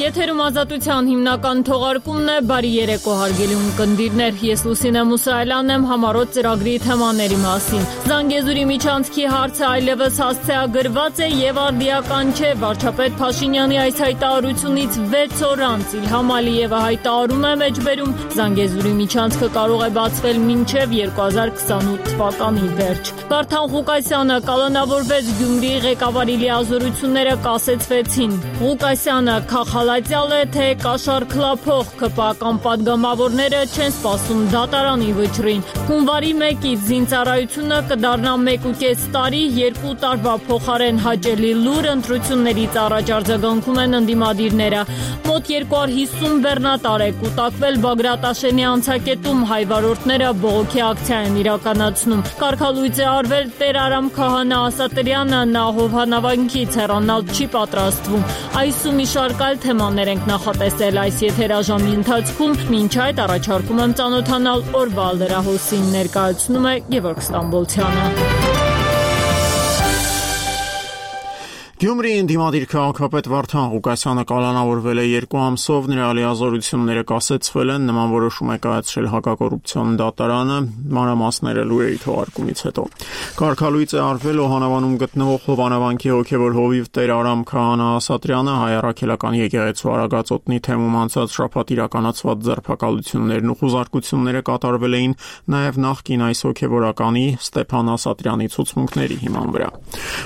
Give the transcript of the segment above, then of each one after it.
Եթերում ազատության հիմնական թողարկումն է, բարի երեկո հարգելի ունկնդիրներ, ես Լուսինե Մուսայելյանն եմ համառոտ ծրագրի թեմաների մասին։ Զանգեզուրի միջանցքի հարցը այլևս հասցեագրված է եւ արդիական չէ, վարչապետ Փաշինյանի այս հայտարարությունից 6 օր անց Իլհամ Ալիևը հայտարարում է մեջբերում Զանգեզուրի միջանցքը կարող է բացվել մինչեւ 2028 թվականի վերջ։ Վարդան Ղուկասյանը կալանավորվեց, Գյումրիի ղեկավարի լիազորությունները կասեցվեցին։ Ղուկասյանը Խախալատյալ է, թե կաշառքլափող ԿՊԱ-կան падգամավորները չեն սպասում դատարանի վճռին։ Հունվարի 1-ից զինծառայությունը կդառնա 1.5 տարի, 2 տարվա փոխարեն հաճելի լուր, ընտրություններից առաջ արձագանքում են ընդդիմադիրները։ Մոտ 250 բեռնատար է կուտակվել Բագրատաշենի անցակետում, հայ վարորդները բողոքի ակցիա են իրականացնում։ Կարգալույծ է արվել Տեր Արամ Քահանա Ասատրյանը, նա հովանավանքից հեռանալ չի պատրաստվում։ Այս ու մի շարք այլ թեմաներ ենք նախատեսել այս եթերաժամի ընթացքում, մինչ այդ առաջարկում եմ ծանոթանալ օրվա լրահոսին, ներկայացնում է Գևորգ Ստամբոլցյանը։ Գյումրիի ընդդիմադիր քաղաքապետ Վարդան Ղուկասյանը կալանավորվել է 2 ամսով, նրա լիազորությունները կասեցվել են, նման որոշում է կայացրել հակակոռուպցիոն դատարանը, մանրամասները լուրերի թողարկումից հետո։ Կարգալույծ է արվել Օհանավանում գտնվող հովանավանքի հոգևոր հովիվ Տեր Արամ Քահանա Ասատրյանը, հայ առաքելական եկեղեցու Արագածոտնի թեմում անցած շաբաթ իրականացված ձերբակալություններն ու խուզարկությունները կատարվել էին նաև նախկին այս հոգևորականի Ստեփան Ասատրյանի ցուցմունքների հիման վրա։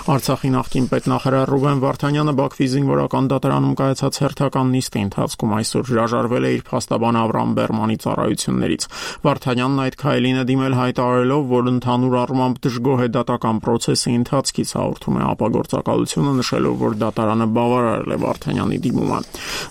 Արցախի նախկին պետնախարար Ռուբեն Վարդանյանը Բաքվի զինվորական դատարանում կայացած հերթական նիստի ընթացքում այսօր հրաժարվել է իր փաստաբան Ավրամ Բերմանի ծառայություններից։ Վարդանյանն այդ քայլին է դիմել հայտարարելով, որ ընդհանուր առմամբ դժգոհ է դատական process-ի ընթացքից, հաղորդում է ապագործակալությունը, նշելով, որ դատարանը բավարարել է Վարդանյանի դիմումը։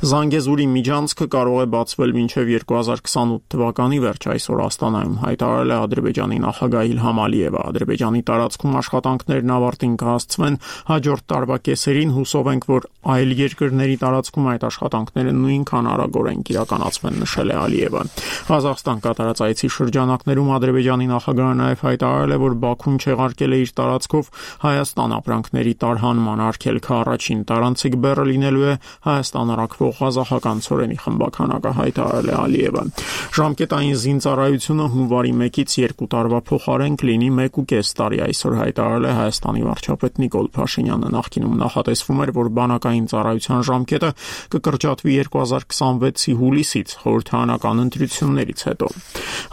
Զանգեզուրի միջանցքը կարող է բացվել մինչև 2028 թվականի վերջ, այսօր Աստանայում հայտարարել է Ադրբեջանի նախագահ Իլհամ Ալիևը։ Ադրբեջանի տարածքում աշխատանքներն ավարտին կհասցվեն հաջորդ տարվա կեսերին, հուսով ենք, որ այլ երկրների տարածքում այդ աշխատանքները նույնքան արագորեն կիրականացվեն, նշել է Ալիևը։ Ղազախստան կատարած այցի շրջանակներում Ադրբեջանի նախագահը նաև հայտարարել է, որ Բաքուն չեղարկել է իր տարածքով Հայաստան ապրանքների տարհանման արգելքը, առաջին տարանցիկ բեռը լինելու է Հայաստան առաքվող ղազախական ցորենի խմբականակը, հայտարարել է Ալիևը։ Ժամկետային զինծառայությունը հունվարի 1-ից 2 տարվա փոխարեն կլինի 1.5 տարի, այսօր հայտարարել է Հայաստանի վարչապետ Նիկոլ Փաշինյանը։ Նախկինում նախատեսվում էր, որ բանակային ծառայության ժամկետը կկրճատվի 2026-ի հուլիսից, խորհրդարանական ընտրություններից հետո։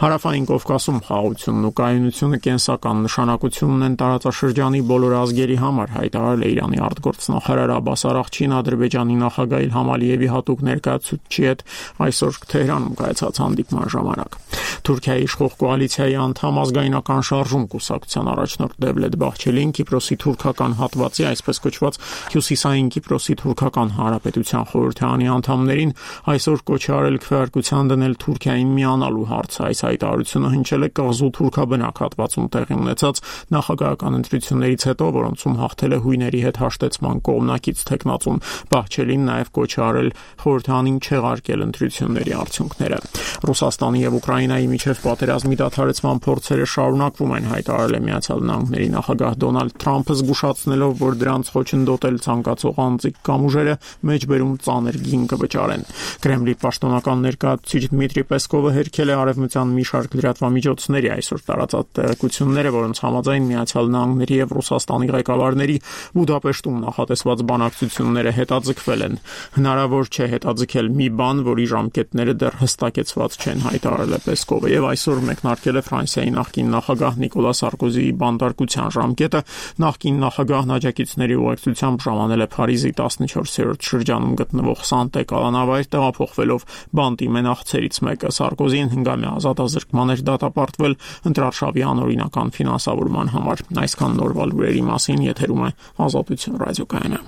Հարավային Կովկասում խաղաղությունն ու կայունությունը կենսական նշանակություն ունեն տարածաշրջանի բոլոր ազգերի համար, հայտարարել է Իրանի արտգործնախարար Աբբաս Արաղչին Ադրբեջանի նախագահ Իլհամ Ալիևի հատուկ ներկայացուցչի հետ այսօր Թեհրանում կայացած հանդիպման ժամանակ։ Թուրքիայի իշխող կոալիցիայի անդամ ազգայնական շարժում կուսակցության առաջնորդ Դևլետ Բաղչելին Կիպրոսի թուրքական հատվածի, այսպես կոչված Հյուսիսային Կիպրոսի թուրքական հանրապետության խորհրդարանի անդամներին այսօր կոչ է արել քվեարկության դնել Թուրքիային միանալու հարցը։ Այս հայտարարությունը հնչել է կղզու թուրքաբնակ հատվածում տեղի ունեցած նախագահական ընտրություններից հետո, որոնցում հաղթել է հույների հետ հաշտեցման կողմնակից թեկնածուն։ Բաղչելին նաև կոչ է արել խորհրդարանին չեղարկել ընտրությունների արդյունքները։ Ռուսաստանի եւ Ուկրաինայի միջև պատերազմի դադարեցման փորձերը շարունակվում են, հայտարարել է Միացյալ Նահանգների նախագահ Դոնալդ Թրամփը, զգուշացնելով, որ դրանց խոչընդոտել ցանկացող անձիկ կամ ուժերը մեջբերում ծանր գին կվճարեն։ Կրեմլի պաշտոնական ներկայացուցիչ Դմիտրի Պեսկովը հերքել է արևմտյան մի շարք լրատվամիջոցների այսօր տարածած տեղեկությունները, որոնց համաձայն Միացյալ Նահանգների եւ Ռուսաստանի ղեկավարների Բուդապեշտում նախատեսված բանակցությունները հետաձգվել են։ Հնարավոր չէ հետաձգել մի բան, որի ժամկետները դեռ հստակեցված չեն, հայտարարել է Պեսկովը, եւ այսօր մեկնարկել է Ֆրանսիայի նախկին նախագահ Նիկոլա Սարկոզիի բանտարկության ժամկետը։ Նախկին նախագահն աջակիցների ուղեկցությամբ ժամանել է Փարիզի 14-րդ շրջանում գտնվող Սանտե կալանավայր, տեղափոխվելով բանտի մենախցերից մեկը։ Սարկոզին հնգամյա ազատազրկման էր դատապարտվել ընտրարշավի անօրինական ֆինանսավորման համար։ Այսքան նորվա լուրերի մասին, եթերում է Ազատություն ռադիոկայանը։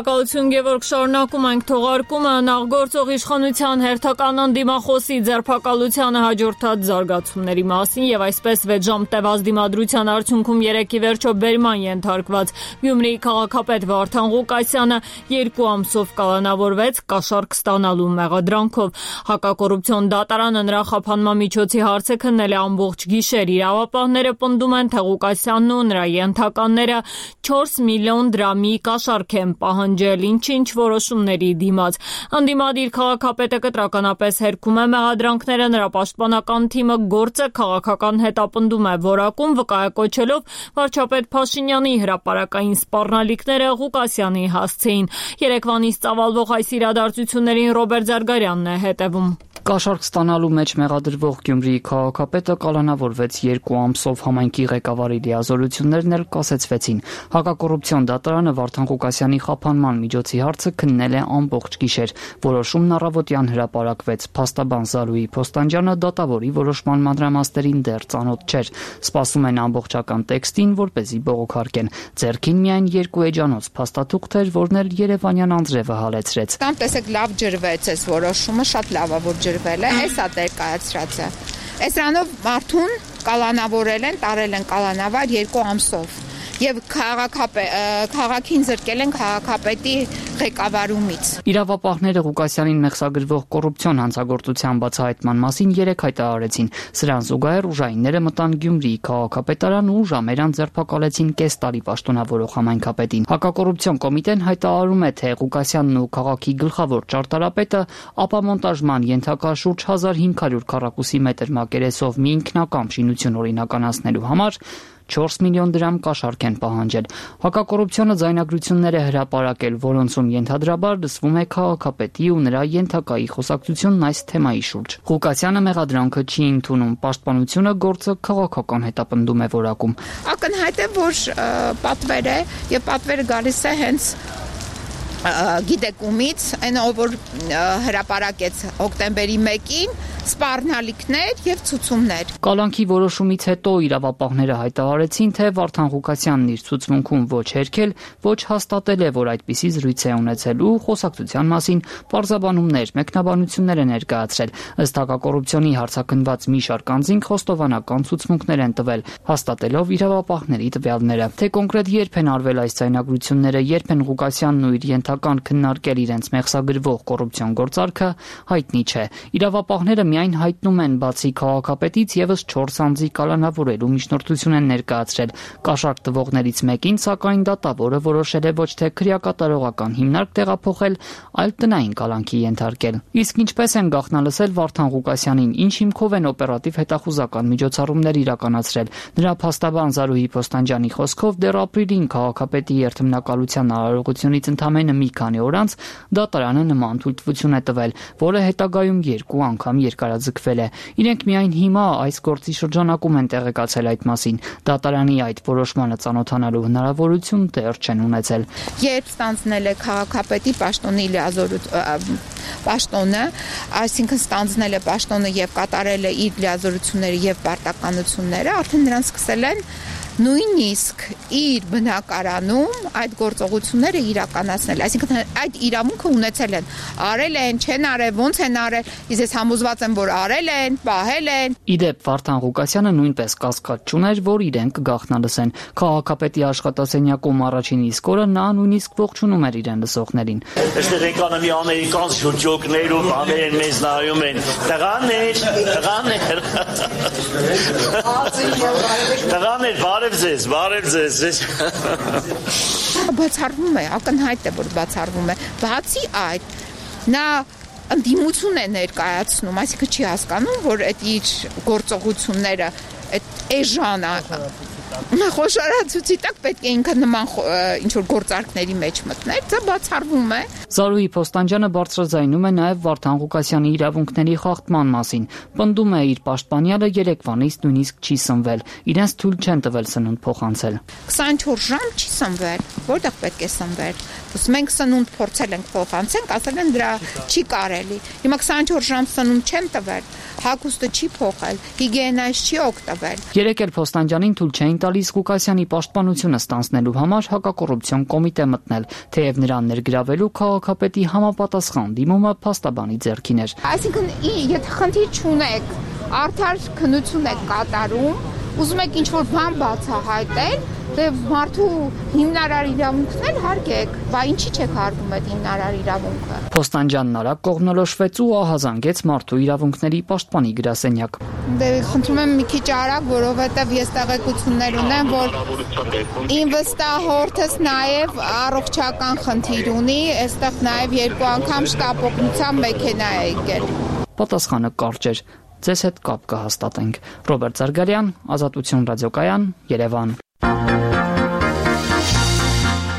Շնորհակալություն Գևորգ, շարունակում ենք թողարկումը նախ գործող իշխանության հերթական անդիմախոսի ձերբակալությանը հաջորդած զարգացումների մասին եւ այսպես 6 ժամ տևած դիմադրության արդյունքում 3-ի վերջո բերման ենթարկված Գյումրիի քաղաքապետ Վարդան Ղուկասյանը 2 ամսով կալանավորվեց կաշառք ստանալու մեղադրանքով։ Հակակոռուպցիոն դատարանը նրա խափանման միջոցի հարցը քննել է ամբողջ գիշեր։ Իրավապահները պնդում են, թե Ղուկասյանն ու նրա ենթականները 4 միլիոն դրամի կաշառք են պահանջել ինչ-ինչ որոշումների դիմաց։ Անդիմադիր քաղաքապետը կտրականապես հերքում է մեղադրանքները, նրա պաշտպանական թիմը գործը քաղաքական հետապնդում է որակում, վկայակոչելով վարչապետ Փաշինյանի հրապարակային սպառնալիքները Ղուկասյանի հասցեին։ Երեկվանից ծավալվող այս իրադարձություններին Ռոբերտ Զարգարյանն է հետևում։ Կաշառք ստանալու մեջ մեղադրվող Գյումրիի քաղաքապետը կալանավորվեց 2 ամսով, համայնքի ղեկավարի լիազորություններն էլ կասեցվեցին։ Հակակոռուպցիոն դատարանը Վարդան Ղուկասյանի խափանման միջոցի հարցը քննել է ամբողջ գիշեր։ Որոշումն առավոտյան հրապարակվեց։ Փաստաբան Զարուհի Փոստանջյանը դատավորի որոշման մանրամասներին դեռ ծանոթ չէր։ Սպասում են ամբողջական տեքստին, որպեսզի բողոքարկեն։ Ձեռքին միայն 2 էջանոց փաստաթուղթ էր, որն էլ երևանյան անձրևը հալեցրեց։ Կամ տեսեք լավ ջրվեց այս որոշումը, շատ լավ է որ ջրվել է, էսա դեր կայացրած է։ Այս ռանով մարդուն կալանավորել են, տարել են կալանավար 2 ամսով եւ քաղաքին զրկել են քաղաքապետի ղեկավարումից։ Իրավապահները Ղուկասյանին մեղսագրվող կոռուպցիոն հանցագործության բացահայտման մասին 3 հայտարարեցին։ Սրան զուգահեռ ուժայինները մտան Գյումրիի քաղաքապետարան ու ժամերան ձերբակալեցին կես տարի պաշտոնավորող համայնքապետին։ Հակակոռուպցիոն կոմիտեն հայտարարում է, թե Ղուկասյանն ու քաղաքի գլխավոր ճարտարապետը ապամոնտաժման ենթակա շուրջ 1500 քառակուսի մետր մակերեսով մի ինքնակամ շինություն օրինականացնելու համար 4 միլիոն դրամ կաշառք են պահանջել։ Հակակոռուպցիոնը ձայնագրություններ է հրապարակել, որոնցում ենթադրաբար լսվում է քաղաքապետի ու նրա ենթակայի խոսակցությունն այս թեմայի շուրջ։ Ղուկասյանը մեղադրանքը չի ընդունում, պաշտպանությունը գործը քաղաքական հետապնդում է որակում։ Ակնհայտ է, որ պատվեր է եւ պատվերը գալիս է հենց գիտեկումից, այն ով որ հրապարակեց հոկտեմբերի 1-ին սպառնալիքներ եւ ցուցումներ։ Կալանքի որոշումից հետո իրավապահները հայտարարեցին, թե Վարդան Ղուկասյանն իր ցուցմունքում ոչ հերքել, ոչ հաստատել է, որ այդպիսի զրույց է ունեցել ու խոսակցության մասին պարզաբանումներ, մեկնաբանություններ է ներկայացրել։ Ըստ հակակոռուպցիոնի հարցաքննված մի շարք անձինք խոստովանական ցուցմունքներ են տվել, հաստատելով իրավապահների տվյալները։ Թե կոնկրետ երբ են արվել այս ձայնագրությունները, երբ են Ղուկասյանն ու իր ենթական քննարկել իրենց մեղսագրվող կոռուպցիոն գործարքը, հայտնի չէ։ Իրավապահները միայն հայտնում են, բացի քաղաքապետից եւս 4 անձի կալանավորելու միջնորդություն են ներկայացրել։ Կաշառք տվողներից մեկին, սակայն դատավորը որոշել է ոչ թե քրեակատարողական հիմնարկ տեղափոխել, այլ տնային կալանքի ենթարկել։ Իսկ ինչպես են գաղտնալսել Վարդան Ղուկասյանին, ինչ հիմքով են օպերատիվ հետախուզական միջոցառումներ իրականացրել։ Նրա փաստաբան Զարուհի Փոստանջյանի խոսքով դեռ ապրիլին քաղաքապետի երթմնակալության արարողությունից ընդամենը մի քանի օր անց դատարանը նման թույլտվություն է տվել, որը հետագայում 2 անգամ երկարաձգվել է։ Իրենք միայն հիմա այս գործի շրջանակում են տեղեկացել այդ մասին։ Դատարանի այդ որոշմանը ծանոթանալու հնարավորություն դեռ չեն ունեցել։ Երբ ստանձնել է քաղաքապետի պաշտոնի պաշտոնը, այսինքն ստանձնել է պաշտոնը եւ կատարել է իր լիազորությունները եւ պարտականությունները, արդեն նրանց սկսել են նույնիսկ իր բնակարանում այդ գործողությունները իրականացնել, այսինքն այդ իրավունքը ունեցել են, արել են, չեն արել, ոնց են արել, իսկ ես համոզված եմ, որ արել են, պահել են։ Իդեպ Վարդան Ղուկասյանը նույնպես կասկած չուներ, որ իրենք կգաղտնալսեն։ Քաղաքապետի աշխատասենյակում առաջին իսկ օրը նա նույնիսկ ողջունում էր իրեն լսողներին։ Այստեղ եկան մի ամերիկան շուրջոկներ ու բաներ մեզ նայում են։ Տղաներ։ Բարև ձեզ։ Բացառվում է, ակնհայտ է, որ բացառվում է։ Բացի այդ, նա ընդդիմություն է ներկայացնում, այսինքն չի հասկանում, որ այդ իր գործողությունները այդ էժան խոշորացուցի տակ պետք է ինքը նման ինչ-որ գործարքների մեջ մտներ, դա բացառվում է։ Զարուհի Փոստանջյանը բարձրաձայնում է նաև Վարդան Ղուկասյանի իրավունքների խախտման մասին։ Պնդում է, իր պաշտպանյալը երեկվանից նույնիսկ չի սնվել, իրենց թույլ չեն տվել սնունդ փոխանցել։ 24 ժամ չի սնվել, որտեղ պետք է սնվել։ Մենք սնունդ փորձել ենք փոխանցենք, ասել են դրա չի կարելի։ Հիմա 24 ժամ սնունդ չեն տվել, հագուստը չի փոխել, հիգիենայից չի օգտվել։ Երեկ էլ Փոստանջանին թույլ չէին տալիս Ղուկասյանի պաշտպանությունը ստանձնելու համար հակակոռուպցիոն կոմիտե մտնել, թեև նրան ներգրավելու քաղաքապետի համապատասխան դիմումը փաստաբանի ձեռքին էր։ Այսինքն, եթե խնդիր չունեք, արդար քննություն եք կատարում, ուզում եք ինչ-որ բան բացահայտել, դե մարդու հիմնարար իրավունքն էլ հարգեք, բա ինչի չեք հարգում այդ հիմնարար իրավունքը։ Փոստանջանն արագ կողմնորոշվեց ու ահազանգեց մարդու իրավունքների պաշտպանի գրասենյակ։ Դե խնդրում եմ մի քիչ արագ, որովհետև ես տեղեկություններ ունեմ, որ իմ վստահորդս նաև առողջական խնդիր ունի, այստեղ նաև 2 անգամ շտապօգնության մեքենա է եկել։ Պատասխանը կարճ էր։ Ձեզ հետ կապ կհաստատենք։ Ռոբերտ Զարգարյան, Ազատություն ռադիոկայան, Երևան։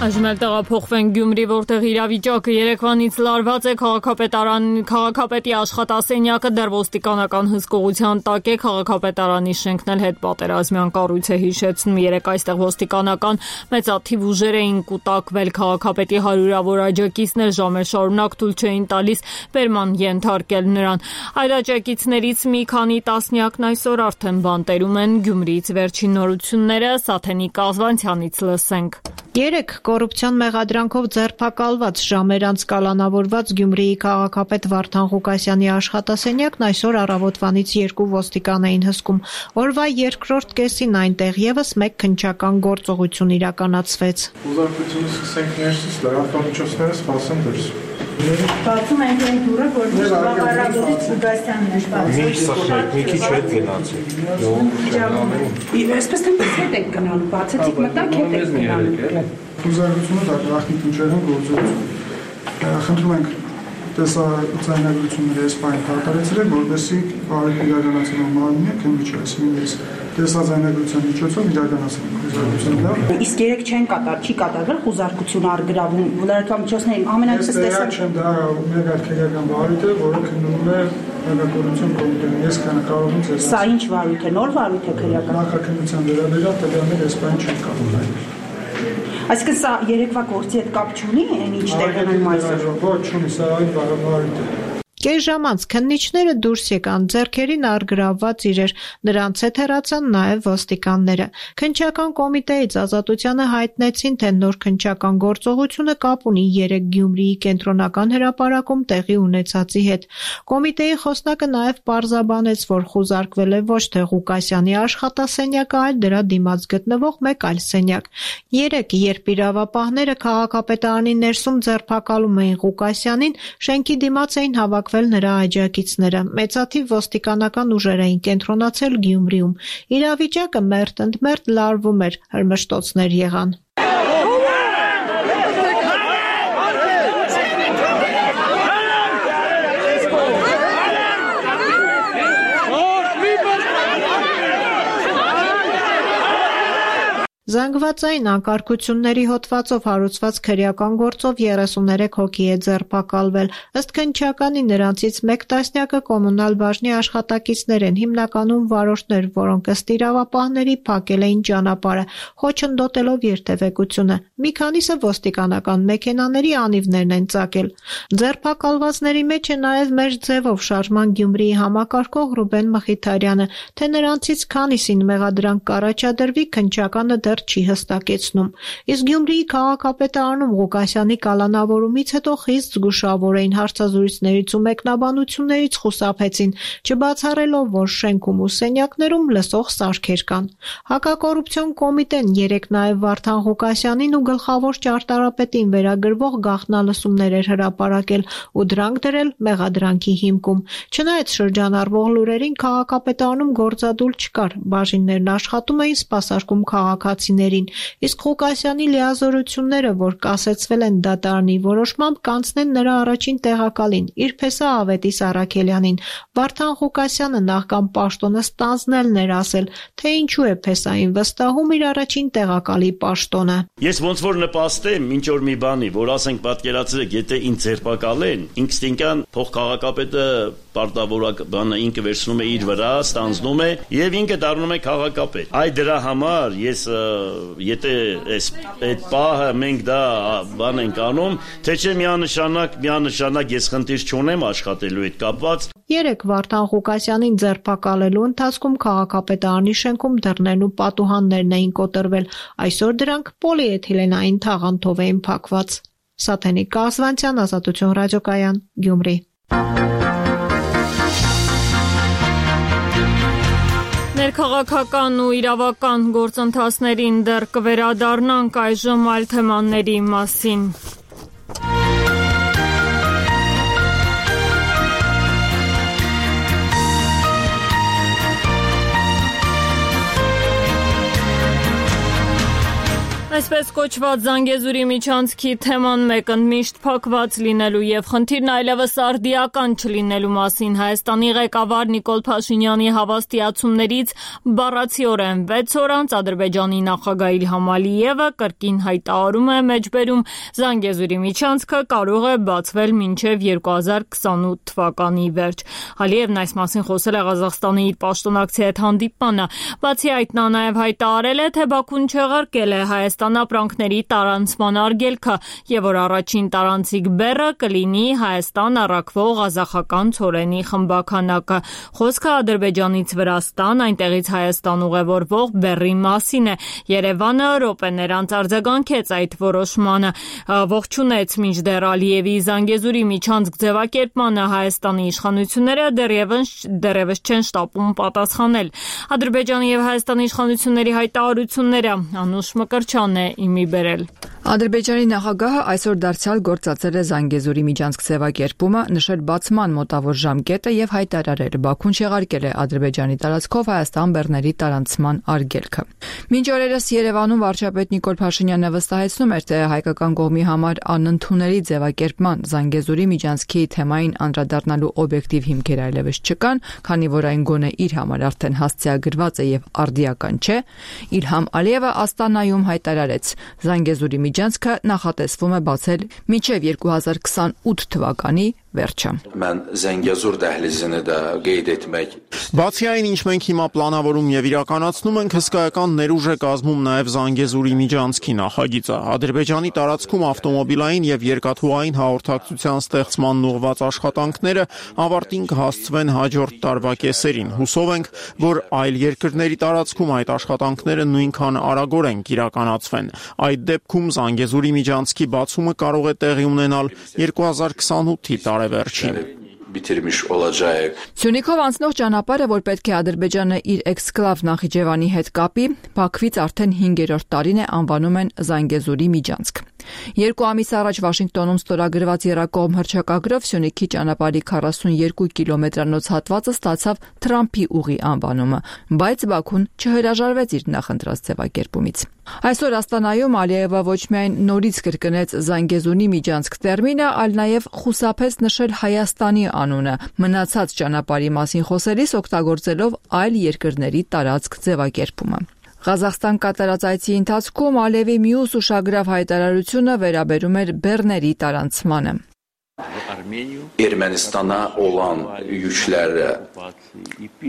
Այժմ էլ տեղափոխվենք Գյումրի, որտեղ իրավիճակը երեկվանից լարված է, քաղաքապետի աշխատասենյակը դեռ ոստիկանական հսկողության տակ է, քաղաքապետարանի շենքն էլ հետպատերազմյան կառույց է, հիշեցնում, երեկ այստեղ ոստիկանական մեծաթիվ ուժեր էին կուտակվել, քաղաքապետի հարյուրավոր աջակիցներ ժամեր շարունակ թույլ չէին տալիս բերման ենթարկել նրան։ Այլ աջակիցներից մի քանի տասնյակն այսօր արդեն բանտերում են Գյումրիից վերջին նորությունները Սաթենիկ Ազվանցյանից լսենք։ Երեկ կոռուպցիոն մեղադրանքով ձերբակալված ժամեր անց կալանավորված Գյումրիի քաղաքապետ Վարդան Ղուկասյանի աշխատասենյակն այսօր առավոտվանից 2 ոստիկան էին հսկում։ Օրվա երկրորդ կեսին այնտեղ եւս մեկ քննչական գործողություն իրականացվեց։ Ուզարկությունը սկսենք ներսից, լրատվամիջոցները սպասեն դուրս։ Բացում ենք այն դուրը, որ բավարարից Ղուկասյանն է սպասում։ Մի քիչ հետ գնացեք։ Այսպես թե հետ եք գնալու, բացեցիք մտակ հետ եք գնալու։ Ուզարկությունը դա գաղտնի քնչերն գործողություն։ Խնդրում ենք տեսաձայնագրությունները այս բանը կատարեցրեք, որպեսզի բարի իրականացնող մարմինը քննիչը, այսինքն տեսաձայնագրության միջոցով իրականացնենք ուզարկությունը։ Իսկ երեք չեն չի կատարվել խուզարկություն առգրավում լրատվամիջոցների ամենայնպես տեսակ չեմ դա մեր քերական վարույթ է, որը քննվում է հակակոռուպցիոն կոմիտեում։ Ես կարող եմ ձեզ։ Սա ինչ վարույթ է, նոր վարույթ է քերական։ Նախաքննության վերաբերյալ տվյալներ այս բանը չեն կարող այլ։ Այսինքն սա երեկվա գործի հետ կապ չունի, այն ինչ տեղն ունի այսօր։ Ոչ, չունի, սա այլ վարույթ է։ Կես ժամ անց քննիչները դուրս եկան, ձեռքերին առգրավված իրեր, նրանց հետ հեռացան նաև ոստիկանները։ Քննչական կոմիտեից Ազատությանը հայտնեցին, թե նոր քննչական գործողությունը կապ ունի 3 Գյումրիի կենտրոնական հրապարակում տեղի ունեցածի հետ։ Կոմիտեի խոսնակը նաև պարզաբանեց, որ խուզարկվել է ոչ թե Ղուկասյանի աշխատասենյակը, այլ դրա դիմաց գտնվող մեկ այլ սենյակ։ Երեկ, երբ իրավապահները քաղաքապետարանի ներսում ձերբակալում էին Ղուկասյանին, շենքի դիմաց էին հավաքվել նրա աջակիցները։ Մեծաթիվ ոստիկանական ուժեր էին կենտրոնացել Գյումրիում։ Իրավիճակը մերթ-ընդմերթ լարվում էր, հրմշտոցներ եղան։ Զանգվածային անկարգությունների հոդվածով հարուցված քրեական գործով 33 հոգի է ձերբակալվել։ Ըստ քննչականի նրանցից մեկ տասնյակը կոմունալ բաժնի աշխատակիցներ են, հիմնականում վարորդներ, որոնք ըստ իրավապահների փակել էին ճանապարհը, խոչընդոտելով երթևեկությունը։ Մի քանիսը ոստիկանական մեքենաների անիվներն են ծակել։ Ձերբակալվածների մեջ է նաև մեր ձևով շարժման Գյումրիի համակարգող Ռուբեն Մխիթարյանը, թե նրանցից քանիսին մեղադրանք կառաջադրվի, քննչականը դեռ չի հստակեցնում։ Իսկ Գյումրիի քաղաքապետարանում Ղուկասյանի կալանավորումից հետո խիստ զգուշավոր էին, հարցազրույցներից ու մեկնաբանություններից խուսափեցին, չբացառելով, որ շենքում ու սենյակներում լսող սարքեր կան։ Հակակոռուպցիոն կոմիտեն երեկ նաև Վարդան Ղուկասյանին ու գլխավոր ճարտարապետին վերագրվող գաղտնալսումներ էր հրապարակել ու դրանք դրել մեղադրանքի հիմքում։ Չնայած շրջանառվող լուրերին քաղաքապետարանում գործադուլ չկար, բաժիններն աշխատում էին սպասարկում քաղաքացիներին, իսկ Ղուկասյանի լիազորությունները, որ կասեցվել են դատարանի որոշմամբ, կանցնեն նրա առաջին տեղակալին, իր փեսա Ավետիս Առաքելյանին։ Վարդան Ղուկասյանը նախքան պաշտոնը ստանձնելն էր ասել, թե ինչու է փեսային վստահում իր առաջին տեղակալի պաշտոնը։ Ես ոնց որ նպաստեմ ինչ որ մի բանի, որ ասենք պատկերացրեք, եթե ինձ ձերբակալեն, ինստինկտյան փոխքաղաքապետը պարտավորակ բանը ինքը վերցնում է իր վրա, ստանձնում է եւ ինքը դառնում է քաղաքապետ։ Այդ դրա համար ես եթե այդ պահը մենք դա բան ենք անում, թե չէ միանշանակ ես խնդիր չունեմ աշխատելու հետ կապված։ Երեկ Վարդան Ղուկասյանին ձերբակալելու ընթացքում քաղաքապետարանի շենքում դռներն ու պատուհաններն էին կոտրվել, այսօր դրանք պոլիէթիլենային թաղանթով էին փակված։ Սաթենիկ Կազվանցյան, Ազատություն ռադիոկայան, Գյումրի։ Ներքաղաքական ու իրավական գործընթացներին դեռ կվերադառնանք այժմ այլ թեմաների մասին։ Այսպես կոչված Զանգեզուրի միջանցքի թեման մեկընդմիշտ փակված լինելու եւ խնդիրն այլևս արդիական չլինելու մասին Հայաստանի ղեկավար Նիկոլ Փաշինյանի հավաստիացումներից բառացիորեն 6 օր անց Ադրբեջանի նախագահ Իլհամ Ալիևը կրկին հայտարարում է մեջբերում Զանգեզուրի միջանցքը կարող է բացվել մինչեւ 2028 թվականի վերջ։ Ալիևն այս մասին խոսել է Ղազախստանի իր պաշտոնակցի հետ հանդիպմանը, բացի այդ նա նաեւ հայտարարել է, թե Բաքուն չեղարկել է Հայաստան ապրանքների տարանցման արգելքը եւ որ առաջին տարանցիկ բեռը կլինի Հայաստան առաքվող ղազախական ցորենի խմբականակը։ Խոսքը Ադրբեջանից Վրաստան, այնտեղից Հայաստան ուղևորվող բեռի մասին է։ Երևանը րոպեներ անց արձագանքեց այդ որոշմանը, ողջունեց մինչդեռ Ալիևի Զանգեզուրի միջանցք ձևակերպմանը Հայաստանի իշխանությունները դեռևս չեն շտապում պատասխանել։ Ադրբեջանի եւ Հայաստանի իշխանությունների հայտարարությունները Անուշ Մկրչյան է իմի բերել։ Ադրբեջանի նախագահը այսօր դարձյալ գործածել է Զանգեզուրի միջանցք ձևակերպումը, նշել բացման մոտավոր ժամկետը եւ հայտարարել Բաքուն չեղարկել է Ադրբեջանի տարածքով Հայաստան բեռների տարանցման արգելքը։ Մինչ օրերս Երևանում վարչապետ Նիկոլ Փաշինյանը վստահեցնում էր, թե հայկական կողմի համար անընդունելի ձևակերպման Զանգեզուրի միջանցքի թեմային անդրադառնալու օբյեկտիվ հիմքեր այլևս չկան, քանի որ այն գոնե իր համար արդեն հասցեագրված է եւ արդիական չէ, Իլհամ Ալիևը Աստանայում հայտարարեց Զանգեզուրի միջանցքը նախատեսվում է բացել մինչև 2028 թվականի վերջը։ Mən Zəngəzur dəhlizini də qeyd etmək։ Բացի այն, ինչ մենք հիմա պլանավորում եւ իրականացնում ենք, հսկայական ներուժ է կազմում նաեւ Զանգեզուրի միջանցքի նախագիծը։ Ադրբեջանի տարածքում ավտոմոբիլային եւ երկաթուղային հաղորդակցության ստեղծման ուղղված աշխատանքները ավարտին կհասցվեն հաջորդ տարվա կեսերին։ Հուսով ենք, որ այլ երկրների տարածքում այդ աշխատանքները նույնքան արագորեն կիրականացվեն։ Այդ դեպքում Զանգեզուրի միջանցքի բացումը կարող է տեղի ունենալ 2028-ի տարեվերջին։ Bitirmiş olacaq։ Սյունիքով անցնող ճանապարհը, որ պետք է Ադրբեջանը իր էքսկլավ Նախիջևանի հետ կապի, Բաքվից արդեն 5-րդ տարին է անվանում են Զանգեզուրի միջանցք։ 2 ամիս առաջ Վաշինգտոնում ստորագրված եռակողմ հռչակագրով Սյունիքի ճանապարհի 42 կիլոմետրանոց հատվածը ստացավ Թրամփի ուղի անվանումը, բայց Բաքուն չհրաժարվեց իր նախընտրած ձևակերպումից։ Այսօր Աստանայում Ալիևը ոչ միայն նորից կրկնեց Զանգեզուրի միջանցք տերմինը, այլ նաև խուսափեց նշել Հայաստանի անունը, մնացած ճանապարհի մասին խոսելիս օգտագործելով այլ երկրների տարածք ձևակերպումը։ Ղազախստան կատարած այցի ընթացքում Ալիևի մյուս ուշագրավ հայտարարությունը վերաբերում էր բեռների տարանցմանը։ Ermənistana olan yüklərə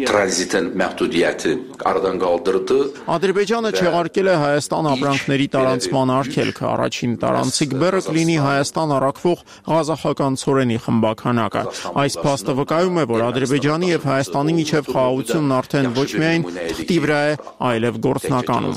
tranzitin məhdudiyyəti aradan qaldırdı։ Ադրբեջանը չեղարկել է Հայաստան ապրանքների տարանցման արգելքը, առաջին տարանցիկ բեռը կլինի Հայաստան առաքվող ղազախական ցորենի խմբականակը։ Այս փաստը վկայում է, որ Ադրբեջանի եւ Հայաստանի միջև խաղաղությունն արդեն ոչ միայն թղթի վրա է, այլև գործնականում։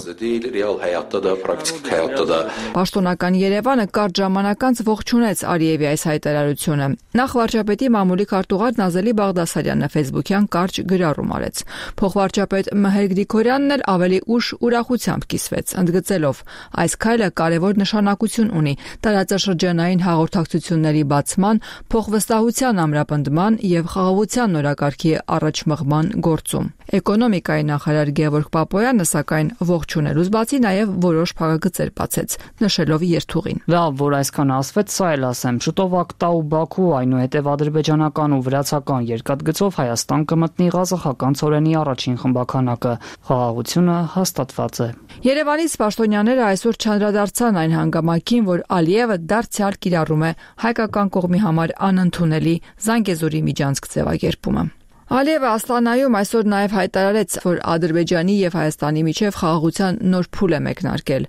Պաշտոնական Երևանը կարճ ժամանակ անց ողջունեց Ալիևի այս հայտարարությունը։ Նախ վարչապետի մամուլի քարտուղար Նազելի Բաղդասարյանը Facebook-յան կարճ գրառում արեց։ Փոխվարչապետ Մհեր Գրիգորյանն էլ ավելի ուշ ուրախությամբ կիսվեց, ընդգծելով. այս քայլը կարևոր նշանակություն ունի տարածաշրջանային հաղորդակցությունների բացման, փոխվստահության ամրապնդման եւ խաղաղության նորակարգի առաջմղման գործում։ Էկոնոմիկայի նախարար Գևորգ Պապոյանը սակայն ողջունելուց բացի նաեւ որոշ փակագծեր բացեց, նշելով երթուղին։ Լավ, որ այսքան ասվեց, սա էլ ասեմ, շուտով Ակտա ու Բաքու, այնուհետև ադրբեջանական ու վրացական երկաթգծով Հայաստան կմտնի ղազախական ցորենի առաջին խմբականակը։ Խաղաղությունը հաստատված է։ Երևանից պաշտոնյաները այսօր չանդրադարձան այն հանգամանքին, որ Ալիևը դարձյալ կիրառում է հայկական կողմի համար անընդունելի Զանգեզուրի միջանցք ձևակերպումը։ Ալիևը Աստանայում այսօր նաև հայտարարեց, որ Ադրբեջանի եւ Հայաստանի միջև խաղաղության նոր փուլ է մեկնարկել։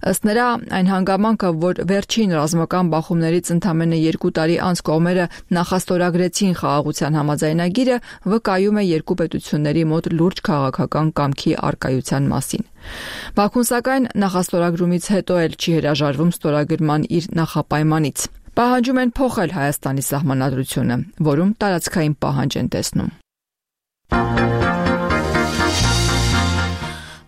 Ըստ նրա, այն հանգամանքը, որ վերջին ռազմական բախումներից ընդամենը 2 տարի անց կողմերը նախաստորագրեցին խաղաղության համաձայնագիրը, վկայում է երկու պետությունների մոտ լուրջ քաղաքական կամքի առկայության մասին։ Բաքուն սակայն նախաստորագրումից հետո էլ չի հրաժարվում ստորագրման իր նախապայմանից։ Պահանջում են փոխել Հայաստանի սահմանադրությունը, որում տարածքային պահանջ են տեսնում։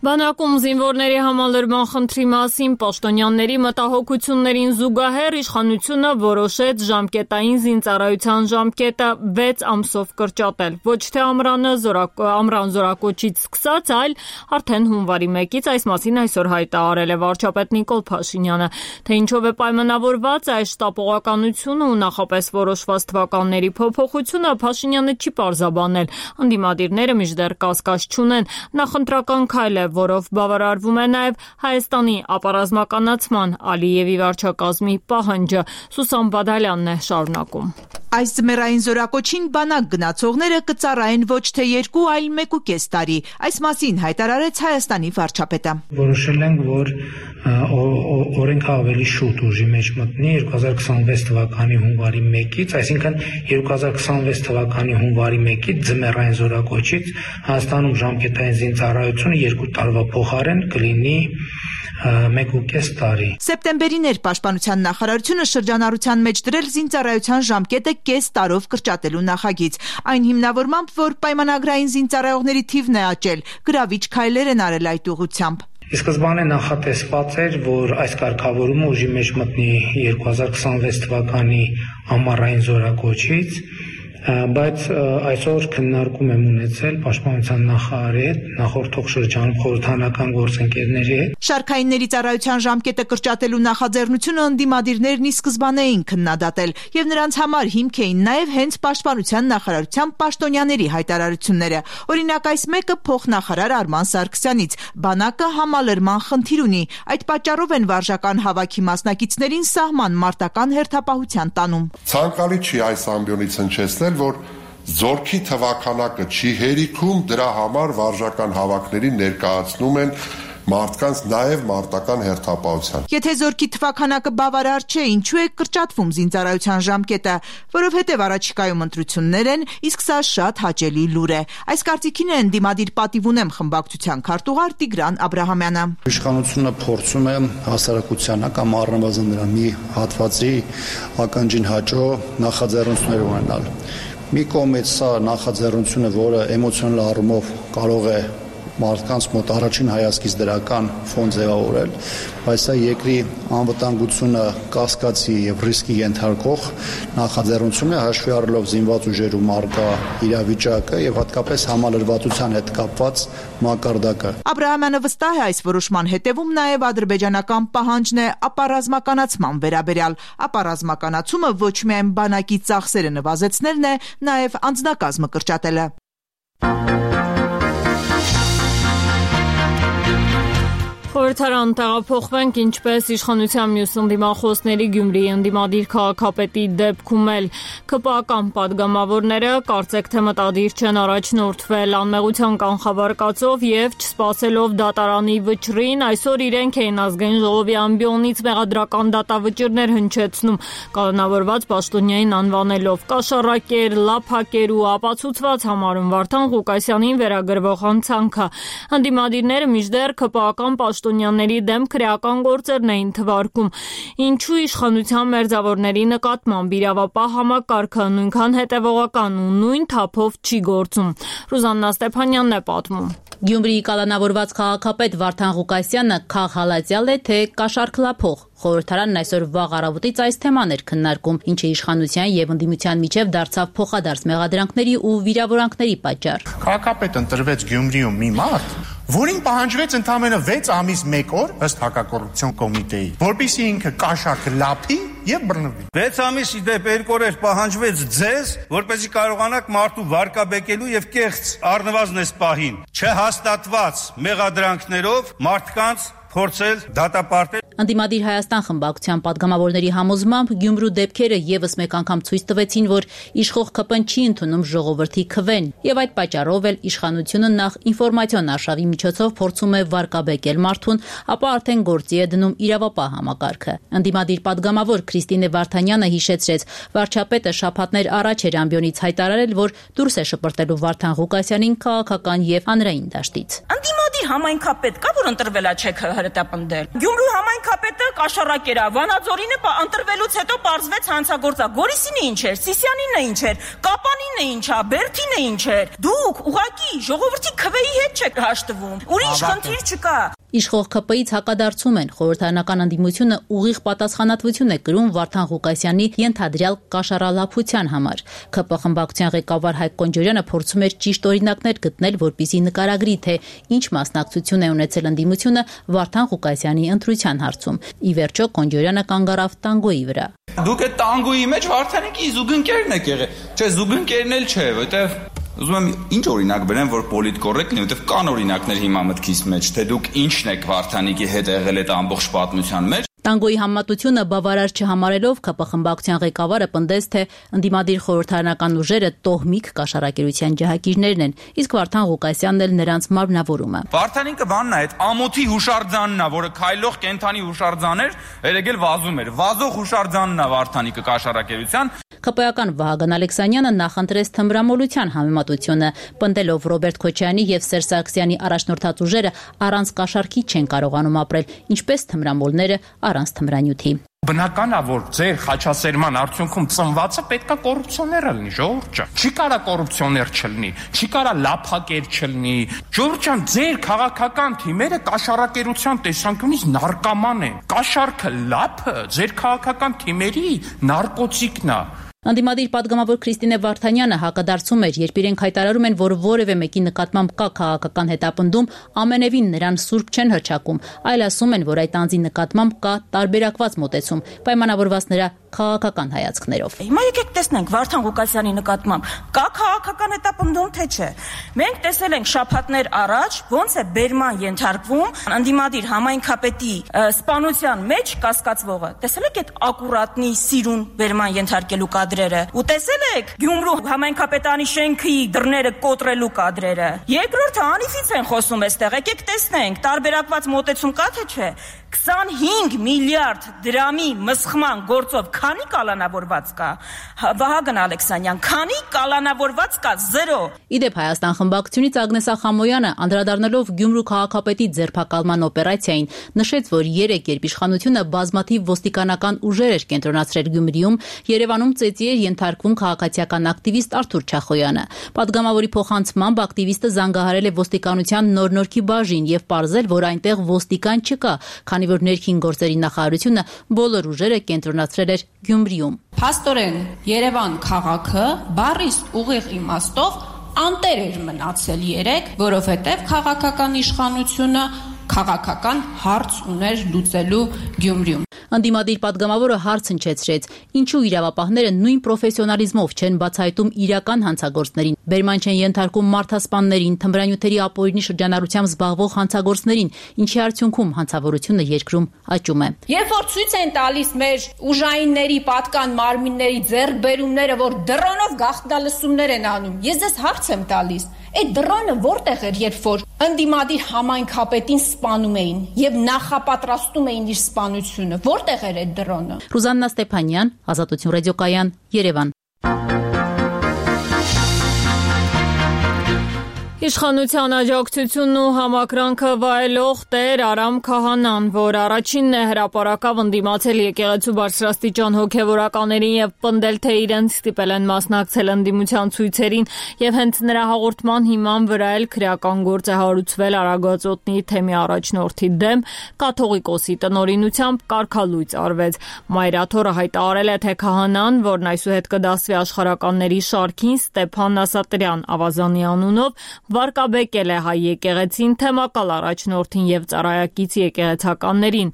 Բանակում զինվորների համալրման խնդրի մասին պաշտոնյաների մտահոգություններին զուգահեռ իշխանությունը որոշեց ժամկետային զինծառայության ժամկետը 6 ամսով կրճատել։ Ոչ թե ամռան զորակոչից սկսած, այլ արդեն հունվարի 1-ից, այս մասին այսօր հայտարարել է վարչապետ Նիկոլ Փաշինյանը։ Թե ինչով է պայմանավորված այս շտապողականությունը ու նախապես որոշված թվականների փոփոխությունը, Փաշինյանը չի պարզաբանել։ Ընդդիմադիրները մինչդեռ կասկած չունեն, նախընտրական քայլ է, որով բավարարվում է նաև Հայաստանի ապառազմականացման Ալիևի վարչակազմի պահանջը։ Սուսան Բադալյանն է շարունակում։ Այս ձմեռային զորակոչին բանակ գնացողները կծառայեն ոչ թե 2, այլ 1.5 տարի։ Այս մասին հայտարարեց Հայաստանի վարչապետը։ Որոշել ենք, որ օրենքը ավելի շուտ ուժի մեջ մտնի 2026 թվականի հունվարի 1-ից, այսինքն 2026 թվականի հունվարի 1-ից ձմեռային զորակոչից Հայաստանում ժամկետային զինծառայությունը 2 տարվա փոխարեն կլինի 1.5 տարի։ Սեպտեմբերին էր Պաշտպանության նախարարությունը շրջանառության մեջ դրել զինծառայության ժամկետը կես տարով կրճատելու նախագիծ։ Այն հիմնավորմամբ, որ պայմանագրային զինծառայողների թիվն է աճել, գրավիչ քայլեր են արել այդ ուղղությամբ։ Սկզբանե նախատեսված էր, որ այս կարգավորումը ուժի մեջ մտնի 2026 թվականի ամառային զորակոչից, բայց այսօր քննարկում եմ ունեցել Պաշտպանության նախարարի հետ, նախորդող շրջանում խորհրդանական գործընկերների հետ։ Շարքայինների ծառայության ժամկետը կրճատելու նախաձեռնությունը ընդդիմադիրներն ի սկզբանե էին քննադատել, եւ նրանց համար հիմք էին նաեւ հենց Պաշտպանության նախարարության պաշտոնյաների հայտարարությունները։ Օրինակ, այս մեկը փոխնախարար Արման Սարգսյանից՝ բանակը համալրման խնդիր ունի, այդ պատճառով են վարժական հավաքի մասնակիցներին սահման մարտական հերթապահության տանում։ Ցանկալի չի այս ամբիոնից հնչեցնել, որ զորքի թվականակը չի հերիքում, դրա համար վարժական հավաքներին ներկայացնում են մարդկանց նաև մարտական հերթապահության։ Եթե զորքի թվականակը բավարար չէ, ինչու է կրճատվում զինծառայության ժամկետը, որովհետև առաջիկայում ընտրություններ են, իսկ սա շատ հաճելի լուր է։ Այս կարծիքին է ընդդիմադիր պատիվ ունեմ խմբակցության քարտուղար Տիգրան Աբրահամյանը։ Իշխանությունը փորձում է հասարակությանը կամ առնվազն նրա մի հատվածի ականջին հաճո նախաձեռնություններ ունենալ։ Մի կողմից սա նախաձեռնությունը, որը էմոցիոնալ առումով կարող է մարդկանց մոտ առաջին հայացքից դրական ֆոն ձևավորել, բայց սա երկրի անվտանգությունը կասկածի եւ ռիսկի ենթարկող նախաձեռնություն է, հաշվի առնելով զինված ուժերում առկա իրավիճակը եւ հատկապես համալրվածության հետ կապված մակարդակը։ Աբրահամյանը վստահ է այս որոշման հետևում նաեւ ադրբեջանական պահանջն է ապառազմականացման վերաբերյալ։ Ապառազմականացումը ոչ միայն բանակի ծախսերը նվազեցնելն է, նաեւ անձնակազմը կրճատելը։ Խորհրդարան տեղափոխվենք, ինչպես իշխանության մյուս ընդդիմախոսների Գյումրիի ընդդիմադիր քաղաքապետի դեպքում էլ ԿՊԱ-կան падգամավորները կարծեք թե մտադիր չեն առաջնորդվել անմեղության կանխավարկածով եւ չսպասելով դատարանի վճռին, այսօր իրենք էին ազգային ժողովի ամբիոնից մեղադրական դատավճիռներ հնչեցնում, կանոնավորված պաշտոնյային անվանելով կաշառակեր, լափակեր ու ապացուցված համարում Վարդան Ղուկասյանին վերագրվող հանցանքը։ Ընդդիմադիրները մինչդեռ ԿՊԱ-կան պաշտոնյաների դեմ քրեական գործերն էին թվարկում։ Ինչու իշխանության մերձավորների նկատմամբ իրավապահ համակարգը նույնքան հետևողական ու նույն թափով չի գործում։ Ռուզաննա Ստեփանյանն է պատմում։ Գյումրիի կալանավորված քաղաքապետ Վարդան Ղուկասյանը քաղհալածյալ է, թե կաշառքլափող։ Խորհրդարանն այսօր վաղ առավոտից այս թեման էր քննարկում, ինչը իշխանության եւ ընդդիմության միջև դարձավ փոխադարձ մեղադրանքների ու վիրավորանքների պատճառ։ Քաղաքապետ ընտրվեց Գյումրիում մի մարդ, որին պահանջվեց ընդամենը 6 ամիս 1 օր ըստ հակակոռուպցիոն կոմիտեի, որպեսզի ինքը կաշառքլափի եւ բռնվի։ 6 ամիս ի դեպ 2 օրեր պահանջվեց ձեզ, որպեսզի կարողանաք մարդու վարկաբեկելու եւ կեղծ առնվազն պահին չհաստատված մեղադրանքներով մարդկանց փորձել դատապարտել։ Ընդդիմադիր Հայաստան խմբակցության падգամավորների համոզմամբ Գյումրու դեպքերը եւս մեկ անգամ ցույց տվեցին, որ իշխող ԿՊ-ն չի ընդունում ժողովրդի քվեն, եւ այդ պատճառով էլ իշխանությունը նախ ինֆորմացիոն արշավի միջոցով փորձում է վարկաբեկել մարդուն, ապա արդեն գործի է դնում իրավապահ համակարգը։ Ընդդիմադիր падգամավոր Քրիստինե Վարդանյանը հիշեցրեց, վարչապետը շաբաթներ առաջ էր ամբիոնից հայտարարել, որ դուրս է շպրտելու Վարդան Ղուկասյանին քաղաքական եւ հանրային դաշտից։ Ընդդիմադիր համայնքապետ կա, որ ընտրվել է չեք հրետապնդել։ Գյումրու համայնքապետը կաշառակ էր, Վանաձորինը ընտրվելուց հետո պարզվեց հանցագործա։ Գորիսինը ինչ էր, Սիսյանինը ինչ էր, Կապանինը ինչ է, Բերթինը ինչ էր։ Դուք ուղղակի ժողովրդի քվեի հետ չեք հաշտվում։ Ուրիշ խնդիր չկա։ Իշխող ԿՊ-ից հակադարձում են, խորհրդարանական ընդդիմությունը ուղիղ պատասխանատվություն է կրում Վարդան Ղուկասյանի ենթադրյալ կաշառալափության համար։ ԿՊ խմբակցության ղեկավար Հայկ Կոնջորյանը փորձում էր ճիշտ օրինակներ գտնել, որպեսզի նկարագրի, թե ինչ մասնակցություն է ունեցել ընդդիմությունը Վարդան Ղուկասյանի ընտրության հարցում։ Ի վերջո Կոնջորյանը կանգ առավ տանգոյի վրա։ Դուք այդ տանգոյի մեջ Վարդանիկի զուգընկերն եք եղել։ Չէ, զուգընկերն էլ չէ, որտեվ ուզում եմ ինչ օրինակ բերեմ, որ պոլիտկորեկտ լինի, որտեվ կան օրինակներ հիմա մտքիս մեջ, թե դուք ինչն եք Վարդանիկի հետ եղել այդ ամբողջ պատմության մեջ։ Տանգոյի համատությունը բավարար չհամարելով ԿՊ խմբակցության ղեկավարը պնդեց, թե ընդդիմադիր խորհրդարանական ուժերը տոհմիկ կաշառակերության ջահակիրներն են, իսկ Վարդան Ղուկասյանն էլ նրանց մարմնավորումը։ Վարդանիկը բանն է, այդ ամոթի հուշարձանն է, որը քայլող կենթանի հուշարձան էր, երեգել վազում էր։ Վազող հուշարձանն է Վարդանիկը կաշառակերության։ ԿՊ-ական Վահագն Ալեքսանյանը նախընտրեց թմրամոլության համեմատությունը, պնդելով Ռոբերտ Քոչարյանի եւ Սերժ Սարգսյանի առաջնորդած ուժերը առանց կաշառքի չեն կարողանում ապրել, ինչպես թմրամոլները առանց թմրանյութի։ Բնական է, որ ձեր խաչասերման արդյունքում ծնվածը պետքա կոռուպցիոներ լինի, ժողովուրդ ջան։ Չի կարա կոռուպցիոներ չլինի, չի կարա լափակեր չլինի։ Ժողովուրդ ջան, ձեր քաղաքական թիմերը կաշառակերության տեսանկյունից նարկոման են։ Կաշառքը լափը ձեր քաղաքական թիմերի նարկոտիկն է։ Ընդդիմադիր падգամավոր Քրիստինե Վարդանյանը հակադարձում էր, երբ իրենք հայտարարում են, որ որևէ մեկի նկատմամբ կա քաղաքական հետապնդում, ամենևին նրան սուրբ չեն հռչակում, այլ ասում են, որ այդ անձի նկատմամբ կա տարբերակված մոտեցում, պայմանավորված նրա քաղաքական հայացքներով։ Հիմա եկեք տեսնենք Վարդան Ղուկասյանի նկատմամբ կա քաղաքական հետապնդում, թե չէ։ Մենք տեսել ենք շաբաթներ առաջ, ոնց է բերման ենթարկվում ընդդիմադիր համայնքապետի սպանության մեջ կասկածվողը։ Տեսել եք այդ ակուրատնի սիրուն բերման ենթարկելու կադրերը։ Ու տեսել եք Գյումրու համայնքապետանի շենքի դռները կոտրելու կադրերը։ Երկրորդը անիվից են խոսում այստեղ։ Եկեք տեսնենք, տարբերակված մոտեցում կա թե չէ։ 25 միլիարդ դրամի մսխման գործով քանի կալանավորված կա։ Վահագն Ալեքսանյան, քանի կալանավորված կա 0։ Իդեպ Հայաստան խմբակցությունից Ագնես Ախամոյանը անդրադառնալով Գյումրու քաղաքապետի ձերբակալման օպերացիային նշեց, որ 3 երբ իշխանությունը բազմաթիվ ոստիկանական ուժեր էր կենտրոնացրել Գյումրիում, Երևանում ծեծի էր ենթարկվում քաղաքացիական ակտիվիստ Արթուր Չախոյանը։ Պատգամավորի փոխանցմամբ ակտիվիստը զանգահարել է ոստիկանության նոր-նորքի բաժին եւ պարզել, որ այնտեղ ոստիկան չկա, քանի որ ներքին գործերի նախարարությունը բոլոր ուժերը կենտրոնացրել էր Գյումրիում։ Փաստորեն Երևան քաղաքը բառիս ուղիղ իմաստով անտեր էր մնացել 3, որովհետև քաղաքական իշխանությունը քաղաքական հարց ուներ լուծելու Գյումրիում։ Ընդդիմադիր падգամավորը հարց հնչեցրեց, ինչու իրավապահները նույն պրոֆեսիոնալիզմով չեն բացահայտում իրական հանցագործներին, բերման չեն ենթարկում մարդասպաններին, թմրանյութերի ապօրինի շրջանառությամբ զբաղվող հանցագործներին, ինչի արդյունքում հանցավորությունը երկրում աճում է։ Երբ որ ցույց են տալիս մեր ուժայինների պատկան մարմինների ձեռքբերումները, որ դրոնով գաղտնալսումներ են անում, ես ձեզ հարց եմ տալիս, այդ դրոնը որտեղ էր, երբ որ ընդդիմադիր համայնքապետին սպանում էին եւ նախապատրաստում էին իր սպանությունը, որտեղ էր այդ դրոնը։ Ռուզաննա Ստեփանյան, Ազատություն ռադիոկայան, Երևան։ Իշխանության աջակցությունն ու համակրանքը վայելող Տեր Արամ Քահանան, որ առաջինն է հրապարակավ ընդդիմացել եկեղեցու բարձրաստիճան հոգևորականներին եւ պնդել, թե իրենց ստիպել են մասնակցել ընդդիմության ցույցերին եւ հենց նրա հաղորդման հիման վրա էլ քրեական գործ է հարուցվել Արագածոտնի թեմի առաջնորդի դեմ, կաթողիկոսի տնօրինությամբ կարգալույծ արվեց։ Մայրաթորը հայտարարել է, թե Քահանան, որն այսուհետ կդասվի աշխարհականների շարքին, Ստեփան Նասատրյան ավազանի անունով, վարկաբեկել է հայ եկեղեցին, թեմակալ առաջնորդին եւ ծառայակից եկեղեցականներին։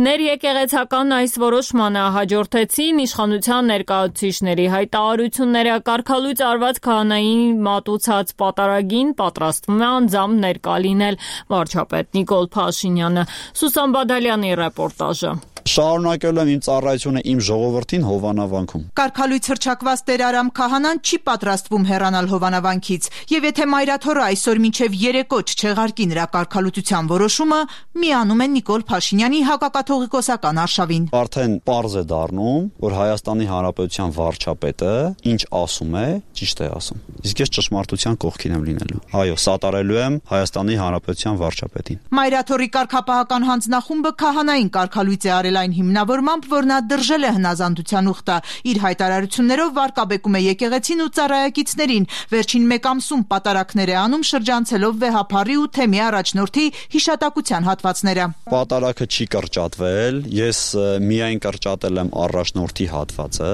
Ներեկեղեցական այս որոշմանը հաջորդեցին իշխանության ներկայացուցիչների հայտարարությունները։ Կարգալույծ արված քահանային մատուցած պատարագին պատրաստվում է անձամբ ներկա լինել վարչապետ Նիկոլ Փաշինյանը։ Սուսան Բադալյանի ռեպորտաժը։ Շարունակել եմ իմ ծառայությունը իմ ժողովրդին Հովանավանքում։ Կարգալույց հռչակված Տեր Արամ քահանան չի պատրաստվում հեռանալ Հովանավանքից, եւ եթե Մայրաթորը այսօր մինչև երեկո չչեղարկի նրա կարգալույցության որոշումը, միանում են Նիկոլ Փաշինյանի հակակաթողիկոսական արշավին։ Արդեն պարզ է դառնում, որ Հայաստանի Հանրապետության վարչապետը ինչ ասում է, ճիշտ է ասում։ Իսկ ես ճշմարտության կողքին եմ լինելու։ Այո, սատարելու եմ Հայաստանի Հանրապետության վարչապետին։ Մայրաթորի կարգապահական հանձնախումբը քահանային կարգալույց է արել այն հիմնավորմամբ, որ նա դրժել է հնազանդության ուխտը։ Իր հայտարարություններով վարկաբեկում է եկեղեցին ու ծառայակիցներին, վերջին մեկ ամսում պատարակներ է անում շրջանցելով վեհափառի ու թեմի առաջնորդի հիշատակության հատվածները։ Պատարակը չի կրճատվել, ես միայն կրճատել եմ առաջնորդի հատվածը,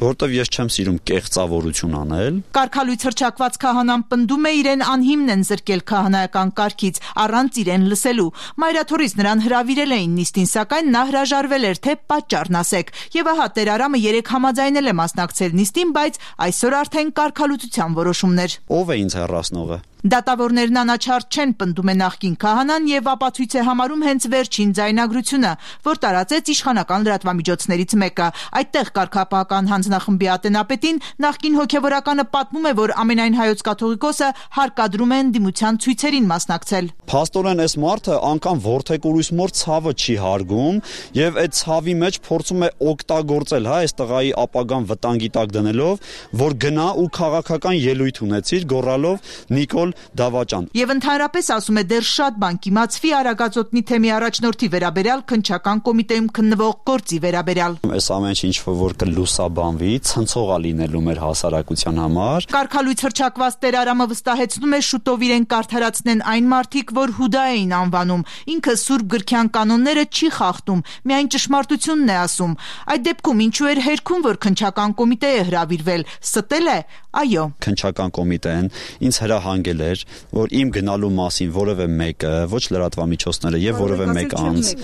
որովհետև ես չեմ սիրում կեղծավորություն անել։ Կարգալույց հռչակված քահանան պնդում է իրեն անհիմն են զրկել քահանայական կարգից, առանց իրեն լսելու։ Մայրաթորից նրան հրավիրել էին նիստին, սակայն նա հրաժարվել էր, թե պատճառն ասեք։ Եվ ահա Տեր Արամը երեկ համաձայնել է մասնակցել նիստին, բայց այսօր արդեն կարգալույցության որոշումներ։ Ո՞վ է ինձ հեռացնողը։ Դատավորներն անաչառ չեն, պնդում է նախկին քահանան եւ ապացույց է համարում հենց վերջին ձայնագրությունը, որ տարածեց իշխանական լրատվամիջոցներից մեկը։ Այդտեղ կարգապահական հանձնախմբի ատենապետին նախկին հոգեվորականը պատմում է, որ ամենայն հայոց կաթողիկոսը հարկադրում է ընդդիմության ցույցերին մասնակցել։ Փաստորեն այս մարդը անգամ ворթեկուրույս մոր ցավը չի հարգում եւ այդ ցավի մեջ փորձում է օգտագործել, հա, այս տղայի ապագան վտանգի տակ դնելով, որ գնա ու քաղաքական ելույթ ունեցիր, գոռալով Նիկոլ Դավաճան։ Եվ ընդհանրապես ասում է, դեռ շատ բան կիմացվի Արագածոտնի թեմի առաջնորդի վերաբերյալ քննչական կոմիտեում քննվող գործի վերաբերյալ։ Այս ամեն ինչ որ կլուսաբանվի, ցնցողա լինելու մեր հասարակության համար։ Կարգալույց հռչակված Տեր Արամը վստահեցնում է, շուտով իրեն կարդարացնեն այն մարդիկ, որ Հուդա էին անվանում։ Ինքը Սուրբ գրքյան կանոնները չի խախտում, միայն ճշմարտությունն է ասում։ Այդ դեպքում ինչու էր հերքում, որ քննչական կոմիտե է հրավիրվել։ Ստել է։ Այո։ Քննչական կոմիտեն ինձ հրահանգել էր, որ իմ գնալու մասին որևէ մեկը, ոչ լրատվամիջոցները եւ որևէ մեկ անձ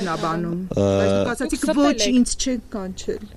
ասացիք ոչ ինձ չեք կանչել։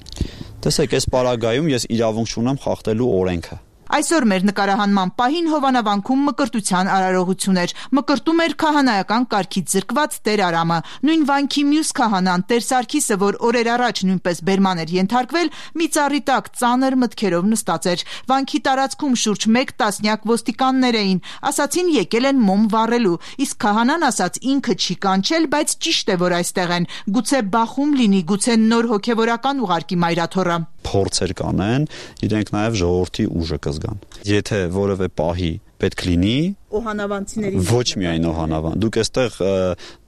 Տեսեք, այս պարագայում ես իրավունք չունեմ խախտելու օրենքը։ Այսօր մեր նկարահանման պահին Հովանավանքում մկրտության արարողություն էր։ Մկրտում էր քահանայական կարգից զրկված Տեր Արամը։ Նույն վանքի մյուս քահանան Տեր Սարգիսը, որ օրեր առաջ նույնպես բերման էր ենթարկվել, մի ծառի տակ ծանր մտքերով նստած էր։ Վանքի տարածքում շուրջ 1 տասնյակ ոստիկաններ էին։ Ասացին եկել են մոմ վառելու, իսկ քահանան ասաց ինքը չի կանչել, բայց ճիշտ է, որ այստեղ են։ Գուցե բախում լինի, գուցե նոր հոգևորական ուղարկի Մայրաթորը։ Փորձեր կանեն, իրենք նաև ժողովրդի ուժը կզգան։ Եթե որևէ պահի պետք լինի, օհանավանցիների ոչ միայն օհանավան, դուք այստեղ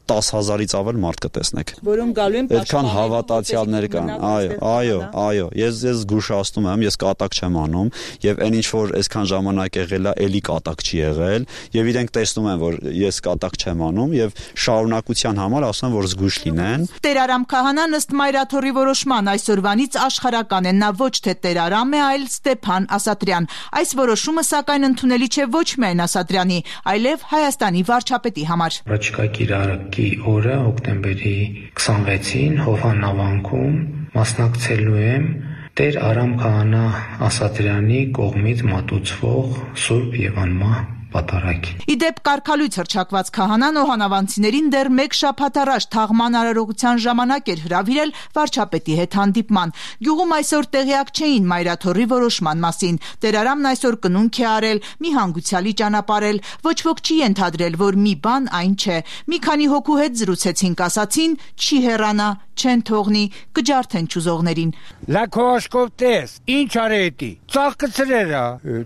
10,000-ից ավել մարդ կտեսնեք, որոնք գալու են այդքան հավատացյալներ կան։ Այո, ես զգուշացնում եմ, ես կատակ չեմ անում եւ այն ինչ որ այսքան ժամանակ եղել է, էլի կատակ չի եղել եւ իրենք տեսնում են, որ ես կատակ չեմ անում եւ շարունակության համար ասում եմ, որ զգուշ լինեն։ Տեր Արամ քահանան ըստ Մայրաթորի որոշման այսօրվանից աշխարհական է, նա ոչ թե Տեր Արամ է, այլ Ստեփան Ասատրյան։ Այս որոշումը սակայն ընդունելի չէ ոչ միայն Ասատրյանի, այլև Հայաստանի վարչապետի համար։ Առաջիկա կիրակի օրը հոկտեմբերի 26-ին Հովանավանքում մասնակցելու եմ Տեր Արամ քահանա Ասատրյանի կողմից մատուցվող Սուրբ եւ անմահ պատարագին։ Իդեպ կարգալույց հռչակված քահանան օհանավանցիներին դեռ 1 շաբաթ առաջ թաղման արարողության ժամանակ էր հրավիրել վարչապետի հետ հանդիպման։ Գյուղում այսօր տեղյակ չէին Մայրաթորի որոշման մասին։ Տեր Արամն այսօր կնունք է արել, մի հանգուցյալի ճանապարհել, ոչ ոք չի ենթադրել, որ մի բան այն չէ։ Մի քանի հոգու հետ զրուցեցինք, ասացին՝ չի հեռանա, չեն թողնի, կջարդեն ճուզողներին։ Լակոշկով տես, ինչ արետի, ծաղկցրերա,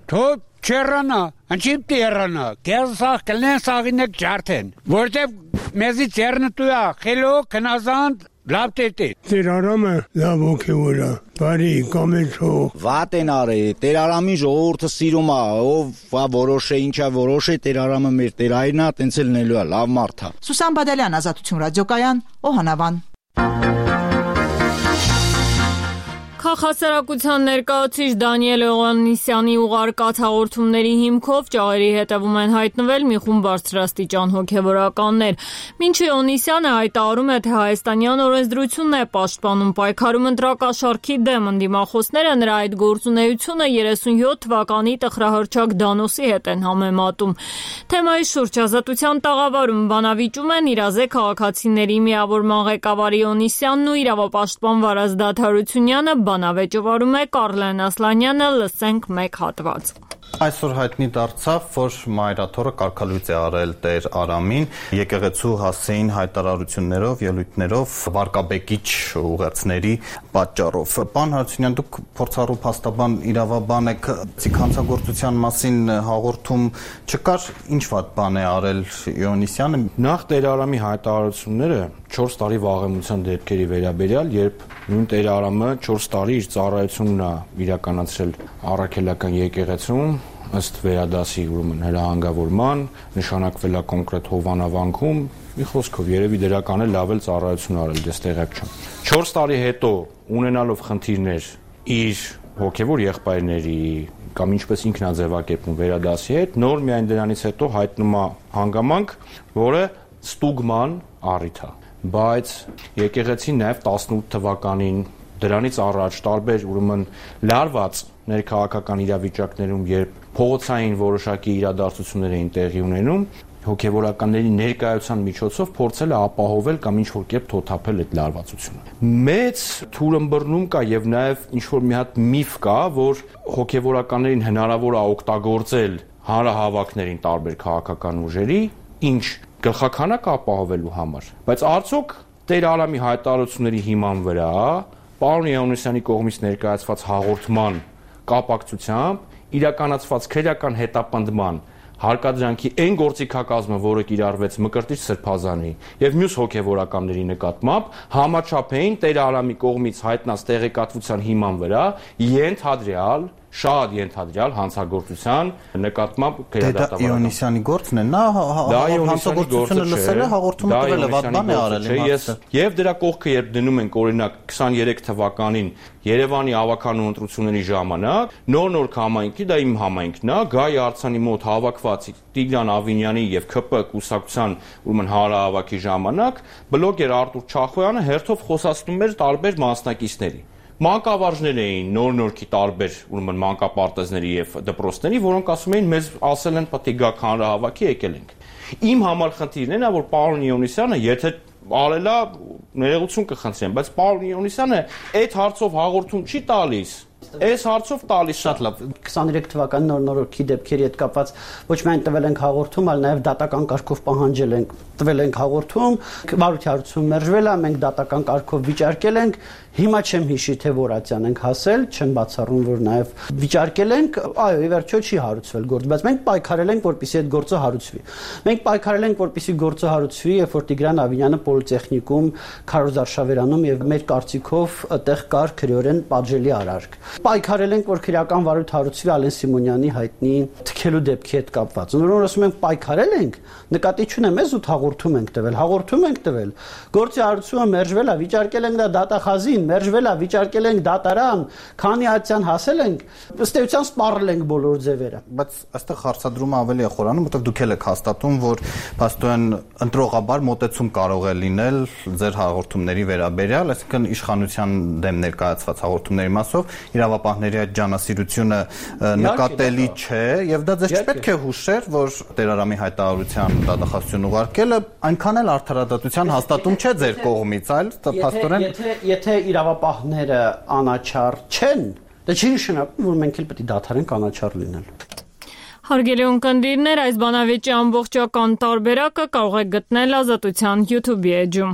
թոտ չերանա, անչիմ տերանա, կերսաղ կլեն սաղինեք ջարդեն, որտև մեզի ծերնտույա, խելո, կնազանդ, լավ տետե։ Տեր Արամը լավ ոգևոր է, բարի, կամեցող։ Վատ են արի, Տեր Արամի ժողովուրդը սիրում է, ով որոշ է, ինչա որոշ է, Տեր Արամը մեր Տեր Այրն է, տենց էլ նելու է, լավ մարդ է։ Սուսան Բադալյան, Ազատություն ռադիոկայան, Օհանավան։ Քաղաքասարակության ներկայացուցիչ Դանիել Օղաննիսյանի ուղարկած հաղորդումների հիմքով ճաղերի հետևում են հայտնվել մի խումբ բարձրաստիճան հոգևորականներ։ Մինչ Օնիսյանը հայտարարում է, թե հայաստանյան օրենսդրությունն է պաշտպանում պայքարում ընտրակաշառքի դեմ, ընդդիմախոսները նրա այդ գործունեությունը 37 թվականի տխրահռչակ Դանոսի հետ են համեմատում։ Թեմայի շուրջ Ազատության տաղավարում բանավիճում են իրազեկ քաղաքացիների միավորման ղեկավարի Օնիսյանն ու իրավապաշտպան Վարազ Դադարությունյանը, բանավեճովարում է Կարլեն Ասլանյանը, լսենք մեկ հատված։ Այսօր հայտնի դարձավ, որ մայրաթորը կարգալույծ է արել Տեր Արամին, եկեղեցու հասցեին հայտարարություններով, ելույթներով, վարկաբեկիչ ուղերձների պատճառով։ Պարոն Հարությունյան, դուք փորձառու փաստաբան, իրավաբան եք, հանցագործության մասին հաղորդում չկար, ինչ վատ բան է արել Իոնիսյանը։ Նախ Տեր Արամի հայտարարությունները 4 տարի վաղեմության դեպքերի վերաբերյալ, երբ նույն Տեր Արամը 4 տարի իր ծառայությունն է իրականացրել առաքելական եկեղեցում, ըստ վերադասի ուրեմն հրահանգավորման, նշանակվել է կոնկրետ հովանավանքում, մի խոսքով երևի դրական է լավ էլ ծառայություն արել, դες տեղակ չեմ։ 4 տարի հետո ունենալով խնդիրներ իր հոգևոր եղբայրների կամ ինչպես ինքն է ձևակերպում վերադասի հետ, նոր միայն դրանից հետո հայտնում է հանգամանք, որը ստուգման առիթ է։ Բայց եկեղեցին նաև 18 թվականին դրանից առաջ տարբեր ուրեմն լարված ներքաղաքական իրավիճակներում, երբ փողոցային որոշակի իրադարձություններ էին տեղի ունենում, հոգևորականների ներկայության միջոցով փորձել է ապահովել կամ ինչ-որ կերպ թոթափել այդ լարվածությունը։ Մեծ թուրըմբռնում կա եւ նաեւ ինչ-որ մի հատ միֆ կա, որ հոգևորականներին հնարավոր է օգտագործել հանրահավաքներին տարբեր քաղաքական ուժերի, ինչ գլխականակ ապահովելու համար, բայց արդյոք Տեր Արամի հայտարարությունների հիման վրա պարոն Իոնիսյանի կողմից ներկայացված հաղորդման կապակցությամբ իրականացված քրեական հետապնդման հարկադրանքի այն գործիքակազմը, որը կիրառվեց Մկրտիչ Սրբազանի եւ մյուս հոգեվորականների նկատմամբ, համաչափ էին Տեր Արամի կողմից հայտնած տեղեկատվության հիման վրա ենթադրյալ շատ ենթադրյալ հանցագործության նկատմամբ քրեադատավարական։ Դա Իոնիսյանի գործն է, նա հանցագործությունը լսել է, հաղորդումը տվել է, վատ բան է արել եւ դրա կողքը երբ դնում ենք օրինակ 23 թվականին Երևանի ավականու ընտրությունների ժամանակ նոր համայնքի, դա իմ համայնքն է, Գայ Արցանի մոտ հավաքված Տիգրան Ավինյանի եւ ՔՊ կուսակցության ուրեմն հանրահավաքի ժամանակ բլոգեր Արտուր Չախոյանը հերթով խոսացնում էր տարբեր մասնակիցների։ Մանկավարժներ էին նոր-նորքի տարբեր ուրեմն մանկապարտեզների եւ դպրոցների, որոնք ասում էին մեզ ասել են պետք է գաք հանրահավաքի եկել ենք։ Իմ համար խնդիրն է նա, որ պարոն Իոնիսյանը, եթե արելա ներողություն կխնդրեմ, բայց պարոն Իոնիսյանը այդ հարցով հաղորդում չի տալիս։ Այս հարցով տալիս շատ լավ 23 թվականի նոր-նորքի դեպքերի հետ կապված ոչ միայն տվել ենք հաղորդում, այլ նաև դատական կարգով պահանջել ենք, տվել ենք հաղորդում, վարույթարություն մերժվել է, մենք դատական կարգով վիճարկել ենք, հիմա չեմ հիշի թե որացյան ենք հասել, չեմ բացառում որ նաև վիճարկել ենք, այո, ի վերջո չի հարուցվել գործ, բայց մենք պայքարել ենք, որպեսզի այդ գործը հարուցվի։ Մենք պայքարել ենք, որպեսզի գործը հարուցվի, երբ որ Տիգրան Ավինյանը պոլիտեխնիկում Քարոզ Արշավերանում եւ մեր կարծիքով այդտեղ կար քրեորեն պատժելի արարք։ Պայքարել ենք, որ քրեական վարույթ հարուցվի Ալեն Սիմոնյանի հայտնի թքելու դեպքի հետ կապված։ Նորոն ասում ենք պայքարել ենք, նկատի չունեմ, ես ութ հաղորդում ենք տվել։ Գործի հարուցումը մերժվել է, վիճարկել ենք դա դատախազին, մերժվել է, վիճարկել ենք դատարան, քանի հատյան հասել ենք, ըստ էության սպառել ենք բոլոր ձևերը։ Բայց այստեղ հարցադրումը ավելի է խորանում, որտեղ դուք եք հաստատում, որ փաստորեն ընտրողաբար մոտեցում կարող է լինել ձեր հաղորդումների վերաբերյալ, այսինքն իշխանության դեմ ներկայացված հաղորդումների մասով իրավապահների այդ ջանասիրությունը նկատելի չէ, եւ դա ձեզ չպետք է հուշեր, որ Տեր Արամի հայտարարության դատախազություն ուղարկելը այնքան էլ արդարադատության հաստատում չէ ձեր կողմից, այլ փաստորեն եթե իրավապահները անաչառ չեն, դա չի նշանակում, որ մենք էլ պետք է դադարենք անաչառ լինել։ Հարգելի ունկնդիրներ, այս բանավեճի ամբողջական տարբերակը կարող եք գտնել Ազատության YouTube-ի էջում։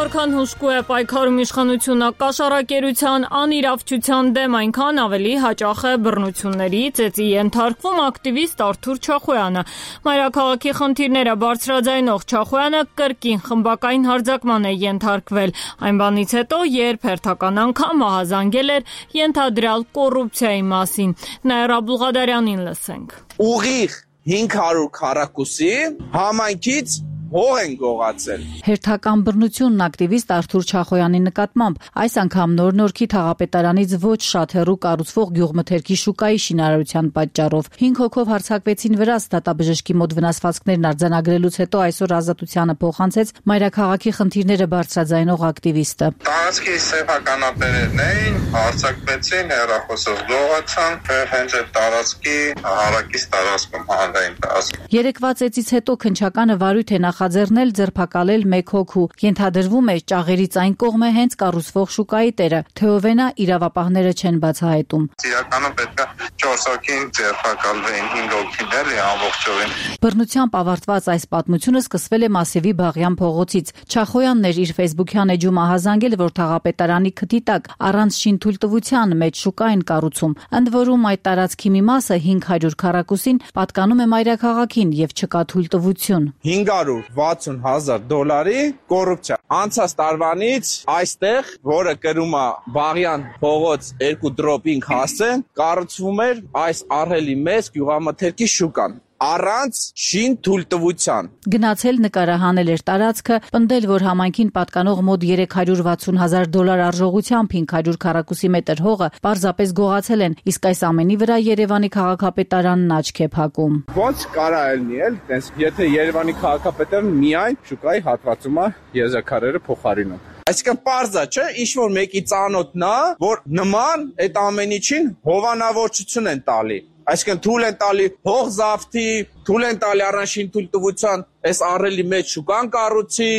Որքան հուժկու է պայքարում իշխանությունը կաշառակերության անիրավչության դեմ, այնքան ավելի հաճախ է բռնությունների ծեծի ենթարկվում ակտիվիստ Արթուր Չախոյանը։ Մայրաքաղաքի խնդիրները բարձրաձայնող Չախոյանը կրկին խմբակային հարձակման է ենթարկվել, այն բանից հետո, երբ հերթական անգամ ահազանգել էր ենթադրյալ կոռուպցիայի մասին։ Նաիրա Աբուլղադարյանին լսենք։ Ուղիղ 500 քառակուսի համայնքից հող են գողացել։ Հերթական բռնությունն ակտիվիստ Արթուր Չախոյանի նկատմամբ այս անգամ Նոր-Նորքի թաղապետարանից ոչ շատ հեռու կառուցվող գյուղմթերքի շուկայի շինարարության պատճառով 5 հոգով հարձակվեցին վրաց դատաբժշկի մոտ վնասվածքներն արձանագրելուց հետո այսօր ազատությանը փոխանցեց մայրաքաղաքի խնդիրները բարձրաձայնող ակտիվիստը։ Տարածքի սեփականատերերն էին, հարձակվեցին, հեռախոսով գողացան, հենց այդ տարածքի հարակից տարածքում հանրային տարածքում։ Երեկվա ծեծից հետո քնչականը վարույթ է նախաձեռնել ձերբակալել 1 հոգու։ Ենթադրվում է ճաղերից այն կողմ է հենց կառուցվող շուկայի տերը, թե ով է նա իրավապահները չեն բացահայտում։ Իրականում պետք է 4 հոգին ձերբակալվեին, 5 հոգին էլի ամբողջովին։ Բռնությամբ ավարտված այս պատմությունը սկսվել է Մասիվի Բաղյան փողոցից։ Չախոյանն էր իր Facebook-յան էջում ահազանգել, որ թաղապետարանի քթի տակ առանց շինթույլտվության մեջ շուկա են կառուցում։ Ընդ որում այդ տարածքի մի մասը 500 քառակուսին պատկանում է մայրաքաղաքին եւ չկա թույլտվություն։ $560,000 կոռուպցիա։ Անցած տարվանից այստեղ, որը կրում է Բաղյան փողոց 2 դրոպինգ հասցեն, կառուցվում էր այս ահռելի մեծ գյուղամթերքի շուկան առանց շինթույլտվության։ Գնացել նկարահանել էր տարածքը, պնդել, որ համայնքին պատկանող մոտ $360,000 արժողությամբ 500 քառակուսի մետր հողը պարզապես գողացել են, իսկ այս ամենի վրա Երևանի քաղաքապետարանն աչք է փակում։ Ոնց կարա ելնի էլ, տես, եթե Երևանի քաղաքապետարանը միայն շուկայի հատվածում է եզրաքարերը փոխարինում։ Այսինքն պարզա չէ, ինչ-որ մեկի ծանոթն է, որ նման այդ ամեն ինչին հովանավորչություն են տալի։ Այսինքն թույլ են տալի հող զավթի, թույլ են տալի առանց շինթույլտվության այս ահռելի մեծ շուկան կառուցի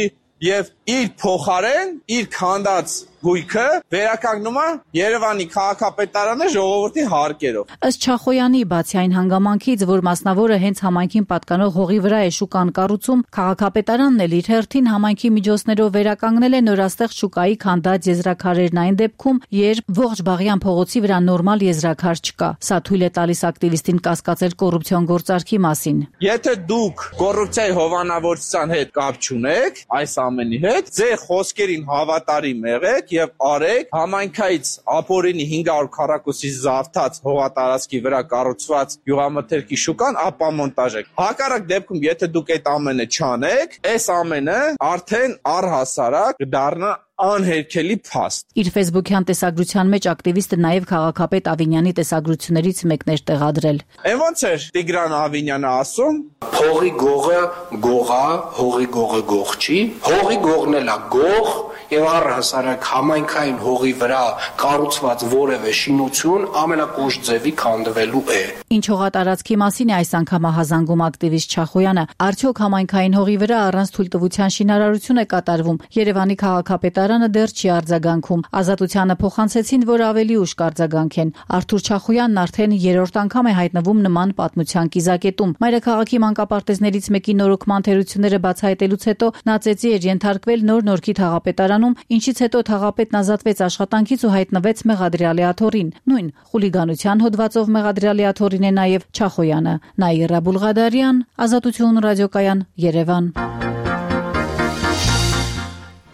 եւ իր փոխարեն իր քանդած գույքը վերականգնում է Երևանի քաղաքապետարանը ժողովրդի հարկերով։ Ըստ Չախոյանի, բացի այն հանգամանքից, որ մասնավորը հենց համայնքին պատկանող հողի վրա է շուկան կառուցում, քաղաքապետարանն էլ իր հերթին համայնքի միջոցներով վերականգնել է նորաստեղծ շուկայի քանդած եզրաքարերն այն դեպքում, երբ ողջ Բաղյան փողոցի վրա նորմալ եզրաքար չկա։ Սա թույլ է տալիս ակտիվիստին կասկածել կոռուպցիոն գործարքի մասին։ Եթե դուք կոռուպցիայի հովանավորչության հետ կապ չունեք, այս ամենի հետ, ձեր խոսքերին հավատարիմ եղեք եւ արեք համայնքից ապօրինի 500 քառակուսի զավթած հողատարածքի վրա կառուցված գյուղամթերքի շուկան ապա մոնտաժեք։ Հակառակ դեպքում, եթե դուք այդ ամենը չանեք, այս ամենը արդեն առհասարակ կդառնա անհերքելի փաստ։ Իր Facebook-յան տեսագրության մեջ ակտիվիստը նաև քաղաքապետ Ավինյանի տեսագրություններից մեկն էր տեղադրել։ Ոնց էր Տիգրան Ավինյանը ասում. Հողի գողը գողա, հողի գողը գող չի, հողի գողն էլ է գող, եւ առհասարակ համայնքային հողի վրա կառուցված որևէ շինություն ամենակոշտ ձևի քանդվելու է։ Ինչ հողատարածքի մասին է այս անգամ ահազանգում ակտիվիստ Չախոյանը, արդյոք համայնքային հողի վրա առանց թույլտվության շինարարություն է կատարվում։ Երևանի քաղաքապետարանը դեռ չի արձագանքում։ Ազատությանը փոխանցեցին, որ ավելի ուշ կարձագանքեն։ Արթուր Չախոյանն արդեն 3-րդ անգամ է հայտնվում նման պատմության կիզակետում։ Մայրաքաղաքի մանկապարտեզներից մեկի նորոգման թերությունները բացահայտելուց հետո նա ծեծի էր ենթարկվել Նոր-Նորքի թաղապետարանում, ինչից հետո թաղապետն ազատվեց աշխատանքից ու հայտնվեց մեղադրյալի աթոռին։ Նույն խուլիգանության հոդվածով մեղադրյալի աթոռին է նաև Չախոյանը։ Նաիրա Բուլղադարյան, Ազատություն ռադիոկայան, Երևան։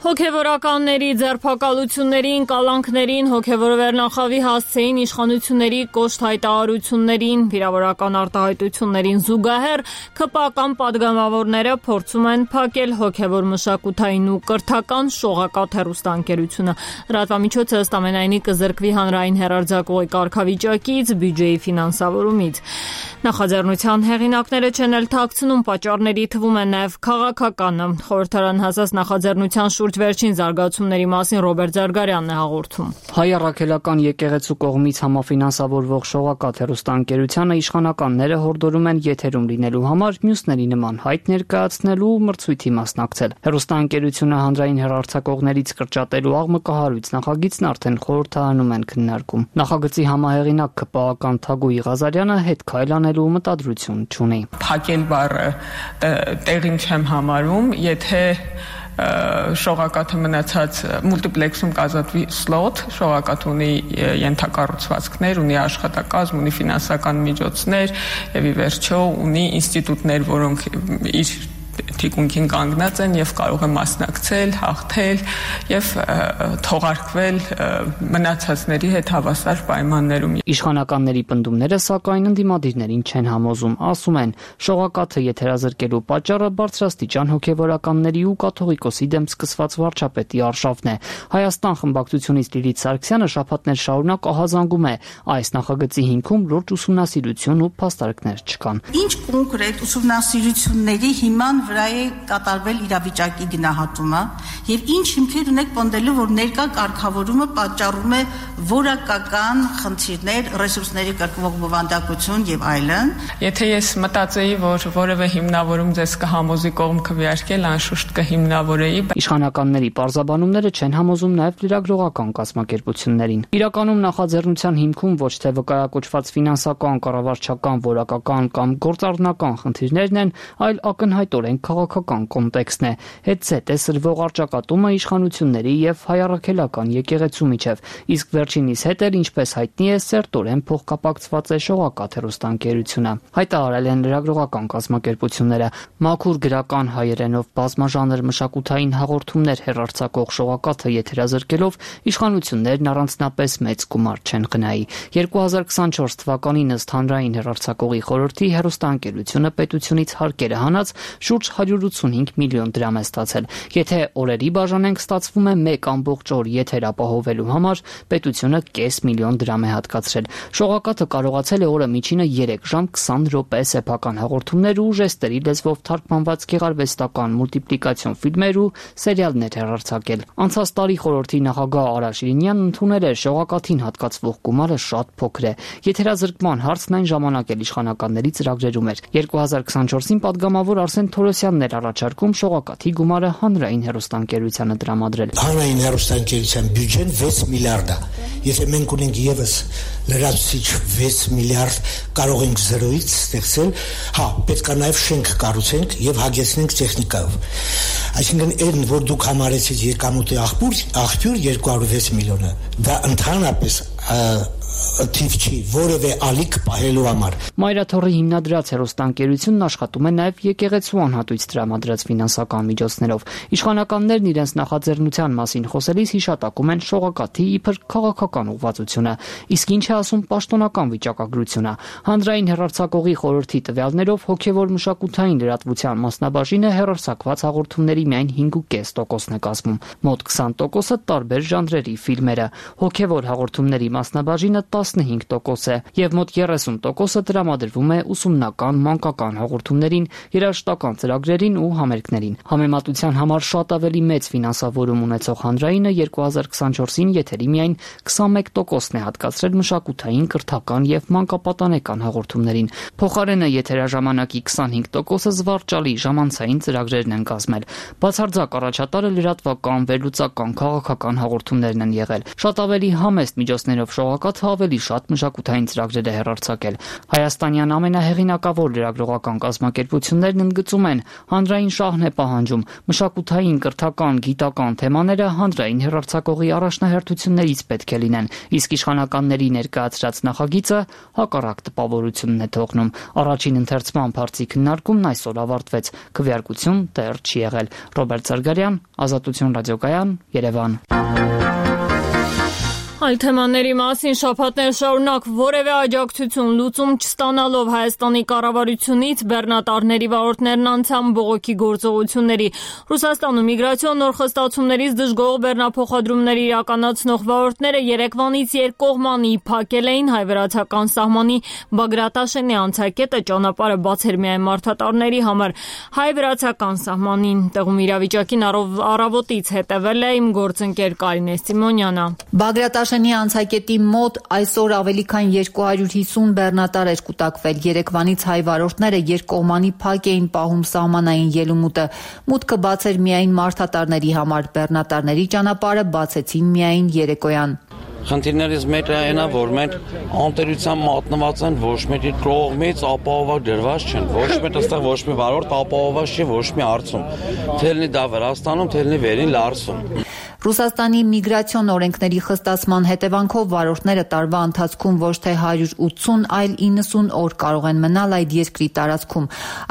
Հոգևորականների ձերբակալություններին, կալանքներին, հոգևոր վերնախավի հասցեին, իշխանությունների կոշտ հայտարարություններին, վիրավորական արտահայտություններին զուգահեռ ՔՊԱ-կան պատգամավորները փորձում են փակել հոգևոր մշակութային ու կրթական շողակաթ հեռուստաընկերությունը։ Լրատվամիջոցը ըստ ամենայնի կզրկվի հանրային հեռարձակողի կարգավիճակից, բյուջեի ֆինանսավորումից։ Նախաձեռնության հեղինակները չեն էլ թաքցնում, պատճառների թվում է նաև քաղաքականը։ Խորհրդարան հասած նախաձեռնության շուրջ վերջին զարգացումների մասին Ռոբերտ Զարգարյանն է հաղորդում։ Հայ առաքելական եկեղեցու կողմից համաֆինանսավորվող շողակաթ հեռուստաընկերությանը իշխանականները հորդորում են եթերում լինելու համար մյուսների նման հայտ ներկայացնելու մրցույթի մասնակցել։ Հեռուստաընկերությունը հանրային հեռարձակողներից կրճատելու աղմկահարույց նախագիծն արդեն խորհրդարանում են քննարկում։ Նախագծի համահեղինակ ՔՊԱ-կան Թագուհի Ղազարյանը հետ քայլ անելու մտադրություն չունի։ Փակել բառը տեղին չեմ համարում, եթե շողակաթը մնացած մուլտիպլեքսում կազատվի սլոտ, շողակաթ ունի ենթակառուցվածքներ, ունի աշխատակազմ, ունի ֆինանսական միջոցներ եւ ի վերջո ունի ինստիտուտներ, որոնք իր թիկունքին կանգնած են եւ կարող են մասնակցել, հաղթել եւ թողարկվել մնացածների հետ հավասար պայմաններում։ Իշխանականների պնդումները սակայն ընդդիմադիրներին չեն համոզում, ասում են, շողակաթը եթերազրկելու պատճառը բարձրաստիճան հոգեվորականների ու կաթողիկոսի դեմ սկսված վարչապետի արշավն է։ Հայաստան խմբակցությունից Լիլիթ Սարգսյանը շաբաթներ շարունակ ահազանգում է, այս նախագծի հիմքում լուրջ ուսումնասիրություն ու փաստարկներ չկան։ Ինչ կոնկրետ ուսումնասիրությունների հիման վրա է կատարվել իրավիճակի գնահատումը եւ ինչ հիմքեր ունեք պնդելու, որ ներկա կարգավորումը պատճառում է որակական խնդիրներ, ռեսուրսների կրկնվող բովանդակություն եւ այլն։ Եթե ես մտածեի, որ որևէ հիմնավորում ձեզ կհամոզի կողմ քվեարկել, անշուշտ կհիմնավորեի։ Իշխանականների պարզաբանումները չեն համոզում նաեւ լրագրողական կազմակերպություններին։ Իրականում նախաձեռնության հիմքում ոչ թե վկայակոչված ֆինանսական, կառավարչական, որակական կամ գործառնական խնդիրներն են, այլ ակնհայտորեն քաղաքական կոնտեքստն է։ Հետզհետե սրվող առճակատումը իշխանությունների եւ հայ առաքելական եկեղեցու միջև, իսկ վերջինիս հետ էլ, ինչպես հայտնի է, սերտորեն փոխկապակցված է շողակաթ հեռուստաընկերությունը։ Հայտարարել են լրագրողական կազմակերպությունները։ Մաքուր գրական հայերենով բազմաժանր մշակութային հաղորդումներ հեռարձակող շողակաթը եթերազրկելով իշխանություններն առանձնապես մեծ գումար չեն գնայի։ 2024 թվականին ըստ հանրային հեռարձակողի խորհրդի հեռուստաընկերությունը պետությունից հարկերը հանած շուրջ 185 միլիոն դրամ է ստացել։ Եթե օրերի բաժանենք, ստացվում է 1 օր եթեր ապահովելու համար պետությունը կես միլիոն դրամ է հատկացրել։ Շողակաթը կարողացել է օրը միջինը 3 ժամ 20 րոպե սեփական հաղորդումներ ու ժեստերի լեզվով թարգմանված գեղարվեստական մուլտիպլիկացիոն ֆիլմեր ու սերիալներ հեռարձակել։ Անցած տարի խորհրդի նախագահ Արա Շիրինյանն ընդունել էր շողակաթին հատկացվող գումարը շատ փոքր է։ Եթերազրկման հարցն այն ժամանակ էլ իշխանականների ծրագրերում էր։ 2024-ին падգամավոր Արսեն Թորոսյանն էր առաջարկում շողակաթի գումարը հանրային հեռուստաընկերությանը տրամադրել։ Հանրային հեռուստաընկերության բյուջեն 6 միլիարդ է։ Եթե մենք ունենք եւս լրացուցիչ 6 միլիարդ, կարող ենք 0-ից ստեղծել, պետք է նաեւ շենք կառուցենք եւ հագեցնենք տեխնիկայով։ Այսինքն այն, որ դուք համարեցիք եկամուտի աղբյուր 206 միլիոնը, դա ընդհանրապես թիվ չի, որևէ ալիք պահելու համար։ Մայրաթորի հիմնադրած հեռուստաընկերությունն աշխատում է նաև եկեղեցու անհատույց տրամադրած ֆինանսական միջոցներով։ Իշխանականներն իրենց նախաձեռնության մասին խոսելիս հիշատակում են շողակաթի իբր քաղաքական ուղղվածությունը, իսկ ինչ է ասում պաշտոնական վիճակագրությունը։ Հանրային հեռարձակողի խորհրդի տվյալներով հոգևոր մշակութային լրատվության մասնաբաժինը հեռարձակված հաղորդումների միայն 5.5%-ն է կազմում։ Մոտ 20%-ը տարբեր ժանրերի ֆիլմերը։ Հոգևոր հաղորդումների մասնաբաժինը 15% է եւ մոտ 30%-ը տրամադրվում է ուսումնական, մանկական հաղորդումներին, երաժշտական ծրագրերին ու համերգներին։ Համեմատության համար շատ ավելի մեծ ֆինանսավորում ունեցող հանրայինը 2024-ին եթերի միայն 21%-ն է հատկացրել մշակութային, կրթական եւ մանկապատանեկան հաղորդումներին։ Փոխարենը եթերաժամանակի 25%-ը զվարճալի ժամանցային ծրագրերն են կազմել։ Բացարձակ առաջատարը լրատվական, վերլուծական, քաղաքական հաղորդումներն են եղել։ Շատ ավելի համեստ միջոցներով շողակաթը ավելի շատ մշակութային ծրագրեր է հեռարձակել։ Հայաստանյան ամենահեղինակավոր լրագրողական կազմակերպություններն ընդգծում են, հանրային շահն է պահանջում, մշակութային, կրթական, գիտական թեմաները հանրային հեռարձակողի առաջնահերթություններից պետք է լինեն, իսկ իշխանականների ներկայացրած նախագիծը հակառակ տպավորությունն է թողնում։ Առաջին ընթերցման բարձի քննարկումն այսօր ավարտվեց, քվեարկություն դեռ չի եղել։ Ռոբերտ Սարգսյան, Ազատություն ռադիոկայան, Երևան։ Այլ թեմաների մասին շաբաթներ շարունակ որևէ աջակցություն լուծում չստանալով Հայաստանի կառավարությունից բեռնատարների վարորդներն անցան բողոքի գործողությունների։ Ռուսաստանում միգրացիոն նոր խստացումներից դժգոհ բեռնափոխադրումներ իրականացնող վարորդները երեկվանից երկկողմանի փակել էին հայ-վրացական սահմանի Բագրատաշենի անցակետը, ճանապարհը բաց էր միայն մարդատարների համար։ Հայ-վրացական սահմանին տեղում իրավիճակին առավոտից հետևել է իմ գործընկեր Կարինե Սիմոնյանը։ Բագրատաշենի անցակետի մոտ այսօր ավելի քան 250 բեռնատար էր կուտակվել։ Երեկվանից հայ վարորդները երկկողմանի փակ էին պահում սահմանային ելումուտը։ Մուտքը բաց էր միայն մարդատարների համար։ Բեռնատարների ճանապարհը բացեցին միայն երեկոյան։ Խնդիրներից մեկը այն է, որ մենք անտերության մատնված են, ոչ մեկի կողմից ապահովված դրված չեն, ոչ մեկ այստեղ ոչ մի վարորդ ապահովված չի ոչ մի հարցում։ Թելնի դա Վրաստանում, թելնի վերին Լարսում։ Ռուսաստանի միգրացիոն օրենքների խստացման հետևանքով վարորդները տարվա ընթացքում ոչ թե 180, այլ 90 օր կարող են մնալ այդ երկրի տարածքում։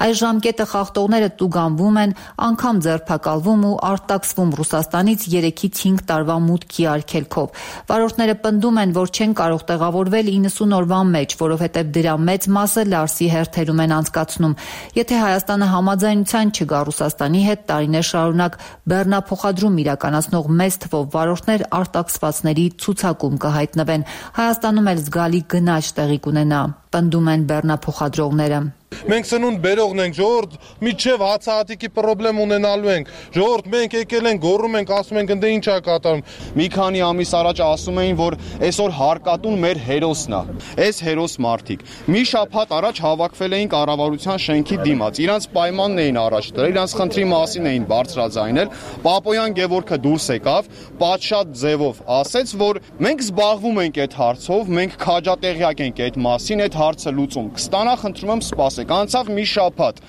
Այս ժամկետը խախտողները տուգանվում են, անգամ ձերբակալվում ու արտաքսվում Ռուսաստանից 3-ից 5 տարվա մուտքի արգելքով։ Վարորդները պնդում են, որ չեն կարող տեղավորվել 90 օրվա մեջ, որովհետև դրա մեծ մասը Լարսի հերթերում են անցկացնում։ Եթե Հայաստանը համաձայնության չգա Ռուսաստանի հետ, տարիներ շարունակ բեռնափոխադրում իրականացնող մեծ թվով վարորդներ արտաքսվածների ցուցակում կհայտնվեն։ Հայաստանում էլ զգալի գնաճ տեղի կունենա, պնդում են բեռնափոխադրողները։ Մենք սնունդ բերողն ենք, ժողովուրդ, միջև հացահատիկի պրոբլեմ ունենալու ենք։ Ժողովուրդ, մենք եկել ենք, գոռում ենք, ասում ենք, ընդ ինչ է կատարում։ Մի քանի ամիս առաջ ասում էին, որ այսօր հարկատուն մեր հերոսն է։ Այս հերոս մարդիկ մի շաբաթ առաջ հավաքվել էին կառավարության շենքի դիմաց։ Իրանց պայմանն էին առաջ դրել, իրանց խնդրի մասին էին բարձրաձայնել։ Պապոյան Գևորգը դուրս եկավ, պատշաճ ձևով ասեց, որ մենք զբաղվում ենք այդ հարցով, մենք քաջատեղյակ ենք այդ մասին, այդ հարցը լուծում կստանա, խնդրում եմ սպասեք։ Անցավ մի շաբաթ,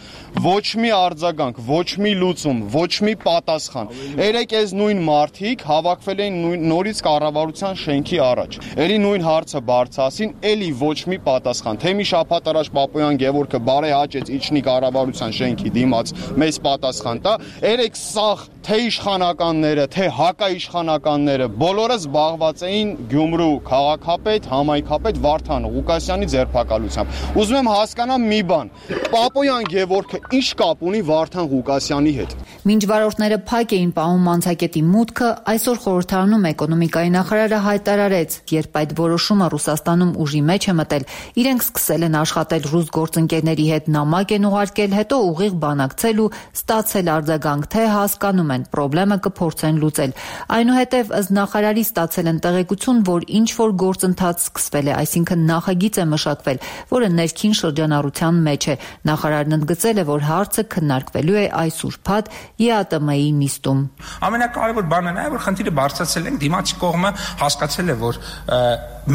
ոչ մի արձագանք, ոչ մի լուծում, ոչ մի պատասխան։ Երեք այս նույն մարդիկ հավաքվել էին նորից կառավարության շենքի առաջ։ Էլի նույն հարցը բարձրացին, էլի ոչ մի պատասխան։ Թե մի շաբաթ առաջ Պապոյան Գևորգը բարեհաճեց իջնի կառավարության շենքի դիմաց մեծ պատասխան տա։ Երեք սաղ թե իշխանականները, թե հակաիշխանականները բոլորը զբաղված էին Գյումրու քաղաքապետ, համայնքապետ Վարդան Ղուկասյանի ձերբակալությամբ։ Ուզում եմ հասկանամ մի բան, Պապոյան Գևորգը ինչ կապ ունի Վարդան Ղուկասյանի հետ։ Մինչ վարորդները փակ էին պահում անցակետի մուտքը, այսօր խորհրդարանում էկոնոմիկայի նախարարը հայտարարեց, երբ այդ որոշումը Ռուսաստանում ուժի մեջ է մտել, իրենք սկսել են աշխատել ռուս գործընկերների հետ նամակ են ուղարկել, հետո ուղիղ բանակցել ու ստացել արձագանք, թե հասկանում են, պրոբլեմը կփորձեն լուծել։ Այնուհետև ըստ նախարարի ստացել են տեղեկություն, որ ինչ որ գործընթաց սկսվել է, այսինքն նախագիծ է մշակվել, որը ներքին շրջանառության մեջ է։ Նախարարն ընդգծել է, որ հարցը քննարկվելու է այս ուրբաթ ԵԱՏՄ-ի նիստում։ Ամենակարևոր բանը նա է, որ խնդիրը բարձրացել են, դիմացի կողմը հասկացել է, որ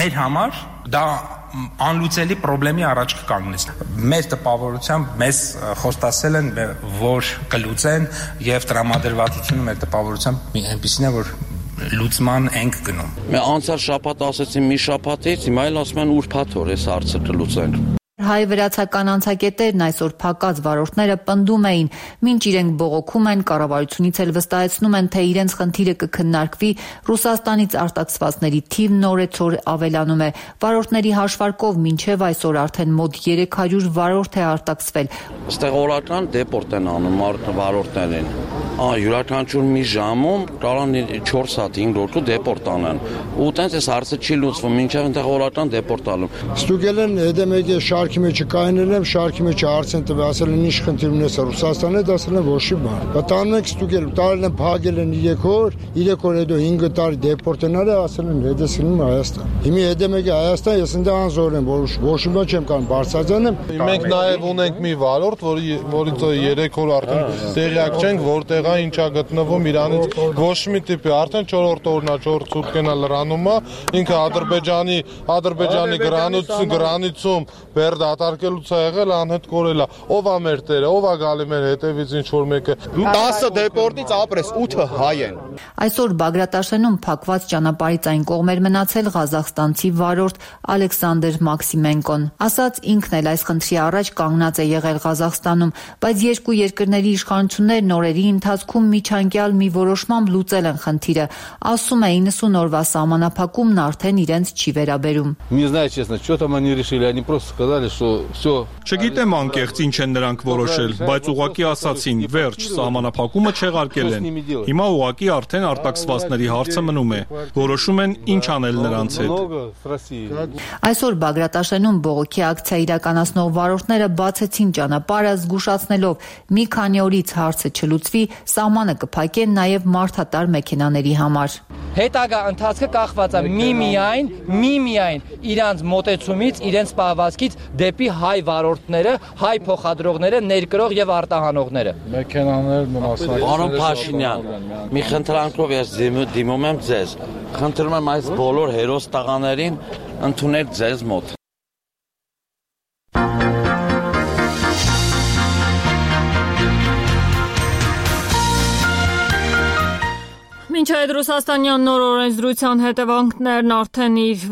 մեր համար դա անլուծելի խնդրի առաջ կկանգնեց։ Մեր տպավորությամբ մեզ խոստացել են, որ կլուծեն եւ տրամադրվածությունը մեր տպավորությամբ այնպեսին է, որ լուծման ենք գնում։ Մենք անցյալ շաբաթ ասացին մի շաբաթից, հիմա էլ ասում են ուրբաթ օր այս հարցը կլուծենք։ Հայ-վրացական անցակետերն այսօր փակած վարորդները պնդում էին, մինչ իրենք բողոքում են, կառավարությունից էլ վստահեցնում են, թե իրենց խնդիրը կքննարկվի, Ռուսաստանից արտաքսվածների թիվն օրեցօր ավելանում է։ Վարորդների հաշվարկով մինչև այսօր արդեն մոտ 300 վարորդ է արտաքսվել։ Այստեղ օրական դեպորտ են անում վարորդներին։ Յուրաքանչյուր մի ժամում կարող են 4 հատ 5 րոպե դեպորտ անեն։ Ու տենց այս հարցը չի լուծվում, մինչև այնտեղ օրական դեպորտ անում։ Ստուգել են հետամեկի շարքի մեջ կայանել եմ, շարքի մեջ հարցեն տվել, ասել են ինչ խնդիր ունես Ռուսաստանը, ասել են ոչ մի բան։ Բտանում ենք ստուգել, տարել են փակել են 3 օր հետո 5 տարի դեպորտենալ է, ասել են հետեսնում Հայաստան։ Հիմա հետամեկի Հայաստան, ես ընդ անզոր եմ, որ ոչ մի բան չեմ կարող բարձրացնել։ Մենք նաև ունենք մի վարորդ, որից 3 օր արդեն տեղյակ չենք, որտեղ է ինչա գտնվում իրանից ոչ մի տիպի, արդեն 4-րդ օրն է, 4 սուտկենա լրանում է, ինքը Ադրբեջանի գրանիցում բեր դատարկելուց է եղել, անհետ կորել է։ Ով է մեր տերը, ով է գալի մեր հետևից ինչ որ մեկը։ 10 դեպորտից ապրես 8-ը հայ են։ Այսօր Բագրատաշենում փակված ճանապարհից այն կողմեր մնացել ղազախստանցի վարորդ Ալեքսանդր Մաքսիմենկոն։ Ասաց ինքն էլ այս խնդրի առաջ կանգնած է եղել Ղազախստանում, բայց երկու երկրների իշխանություններն օրերի ընթացքում միջանկյալ մի որոշմամբ լուծել են խնդիրը։ Ասում է 90 օրվա սահմանափակումն արդեն իրենց չի վերաբերում։ Չգիտեմ անկեղծ ինչ են նրանք որոշել, բայց ուղղակի ասացին, վերջ, սահմանափակումը չեղարկել են։ Հիմա ուղղակի արդեն արտաքսվածների հարցը մնում է։ Որոշում են ինչ անել նրանց հետ։ Այսօր Բագրատաշենում բողոքի ակցիա իրականացնող վարորդները բացեցին ճանապարհը, զգուշացնելով մի քանի օրից հարցը չլուծվի, սահմանը կփակեն նաև մարդատար մեքենաների համար։ Հետագա ընթացքը կախված է միմիայն իրանց մոտեցումից, իրենց պահվածքից դեպի հայ վարորդները, հայ փոխադրողները, ներկրող եւ արտահանողները։ Մեքենաներն մասնակցել։ Պարոն Փաշինյան, մի խնդրանքով ես դիմում եմ ձեզ։ Խնդրում եմ այս բոլոր հերոս տղաներին ընդունել ձեզ մոտ։ Մինչ այդ ռուսաստանյան նոր օրենսդրության հետևանքներն արդեն իր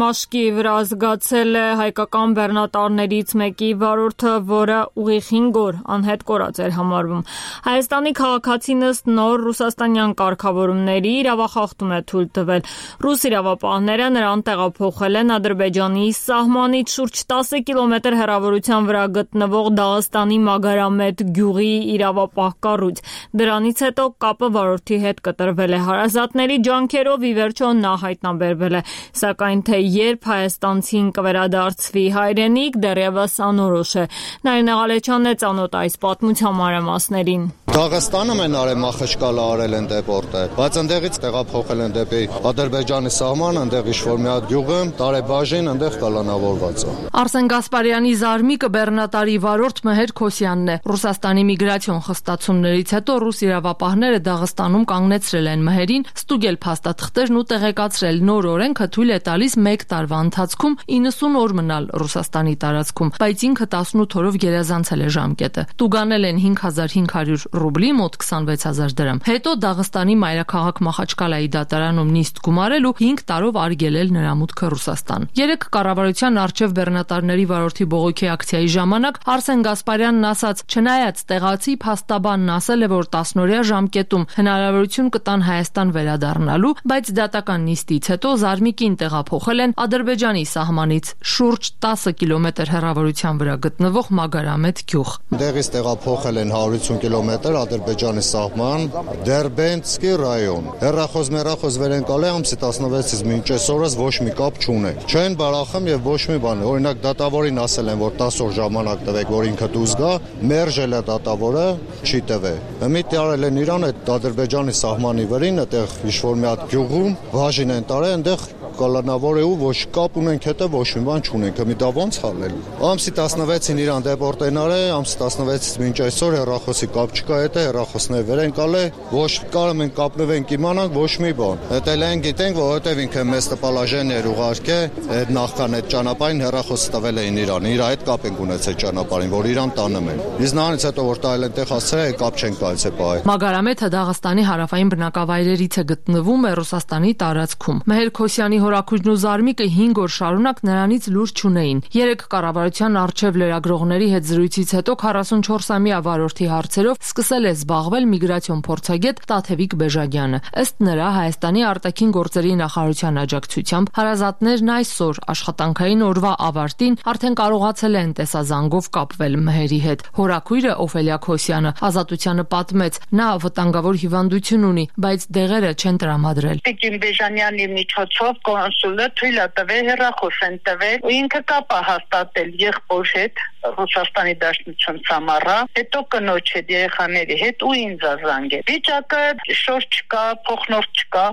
մաշկի վրա զգացել է հայկական բեռնատարներից մեկի վարորդը, որը ուղիղ 5 օր անհետ կորած էր համարվում։ Հայաստանի քաղաքացին ըստ նոր ռուսաստանյան կարգավորումների իրավախախտում է թույլ տվել։ Ռուս իրավապահները նրան տեղափոխել են Ադրբեջանի սահմանից շուրջ 10 կիլոմետր հեռավորության վրա գտնվող Դաղստանի Մագարամետ գյուղի իրավապահ կառույց։ Դրանից հետո կապը վարորդի հետ կտրվել է հարազատների ջանքերով, ի վերջո նա հայտնաբերվել է, սակայն թե երբ հայաստանցին կվերադարձվի հայրենիք, դեռևս անորոշ է։ Նարինե Ղալեչյանն է ծանոթ այս պատմության մանրամասներին։ Դաղստանը մեն արել Մախաչկալա արել են դեպորտել, բայց ընդեղից տեղափոխել են դեպի Ադրբեջանի սահման, ընդեղ ինչ-որ մի հատ գյուղը, տարեբաժին, ընդեղ կալանավորված է։ Արսեն Գասպարյանի զարմիկը բեռնատարի վարորդ Մեհեր Քոսյանն է։ Ռուսաստանի միգրացիոն խստացումներից հետո ռուս իրավապահները Դաղստանում կանգնեցրել են Մեհերին, ստուգել փաստաթղթերն ու տեղեկացրել նոր օրենքը թույլ է տալիս 1 տարվա ընթացքում 90 օր մնալ Ռուսաստանի տարածքում, բայց ինքը 18 օրով գերազանցել է ժամկետը։ Տուգանել են 5500 ռուբլի, մոտ 26000 դրամ։ Հետո Դաղստանի մայրաքաղաք Մախաչկալայի դատարանում նիստ գումարել ու 5 տարով արգելել նրա մուտքը Ռուսաստան։ Երեք կառավարության արչև բեռնատարների վարորդի բողոքի ակցիայի ժամանակ Արսեն Գասպարյանն ասաց, չնայած տեղացի փաստաբանն ասել է, որ 10-օրյա ժամկետում հնարավորություն կտան Հայաստան վերադառնալու, բայց դատական նիստից հետո զարմիկին տեղափոխել են Ադրբեջանի սահմանից շուրջ 10 կիլոմետր հեռավորության վրա գտնվող Մագարամետ գյուղ։ Դեղից տեղափոխել են 150 կիլոմետր Ադրբեջանի սահման, Դերբենցկի ռայոն։ Հեռախոս մեռախոս վերենկալի ամսի 16-ից մինչ այսօրս ոչ մի կապ չունեն։ Չեն բարախում եւ ոչ մի բան։ Օրինակ դատավորին ասել են, որ 10 օր ժամանակ տվեք, որ ինքը դուրս գա, մերժել է դատավորը, չի տվել։ Մի տարել են իրան այդ Ադրբեջանի սահմանի վրին, այդտեղ ինչ-որ մի հատ գյուղում բաժին են տարել, այնտեղ կալանավոր է ու ոչ կապ ունենք հետը ոչ մի բան չունենք, մի դա ոնց հալել։ Ամսի 16-ին իրան դեպորտեն արել, ամսի 16-ից մինչ այսօր հեռախոսի կապ չկա, հետը հեռախոսներ վերենկալ է, ոչ կարող ենք կապնվենք իմանանք ոչ մի բան։ Հետո լայն գիտենք, որովհետև ինքը մեծ տպալաժեն էր ուղարկե, այդ նախքան այդ ճանապարհին հեռախոսը տվել էին իրան, իր հետ կապ ենք ունեցել ճանապարհին, որ իրան տանում են։ Իսկ նրանից հետո որ տայել են տեղ հասցրել, կապ չեն կարծե պահել։ Մագարամեթը Դաղստանի հարավային բնակավայրերից է, գտնվում է Ռուսաստանի տարածքում։ Մեհեր Քոսյանի հորաքույրն ու զարմիկը 5 օր շարունակ նրանից լուր չունեին։ Երեք կառավարության արչև լրագրողների հետ զրույցից հետո 44-ամյա վարորդի հարցերով սկսել է զբաղվել միգրացիոն փորձագետ Տաթևիկ Բեժագյանը։ Ըստ նրա, Հայաստանի արտաքին գործերի նախարարության աջակցությամբ հարազատներն այսօր աշխատանքային օրվա ավարտին արդեն կարողացել են տեսազանգով կապվել Մեհերի հետ։ Հորաքույրը Օֆելիա Քոսյանը Ազատությանը պատմեց, նա վտանգավոր հիվանդություն ունի, բայց դեղերը չեն տրամադրել։ Տիկին Բեժանյանի միջոցով կոնսուլը թույլ է տվել հեռախոս են տվել ու ինքը կապ է հաստատել եղբոր հետ Ռուսաստանի Դաշնություն Սամարա, հետո կնոջ հետ, երեխաների հետ ու ինձ զանգել։ Վիճակը շոր չկա, փոխնորդ չկա,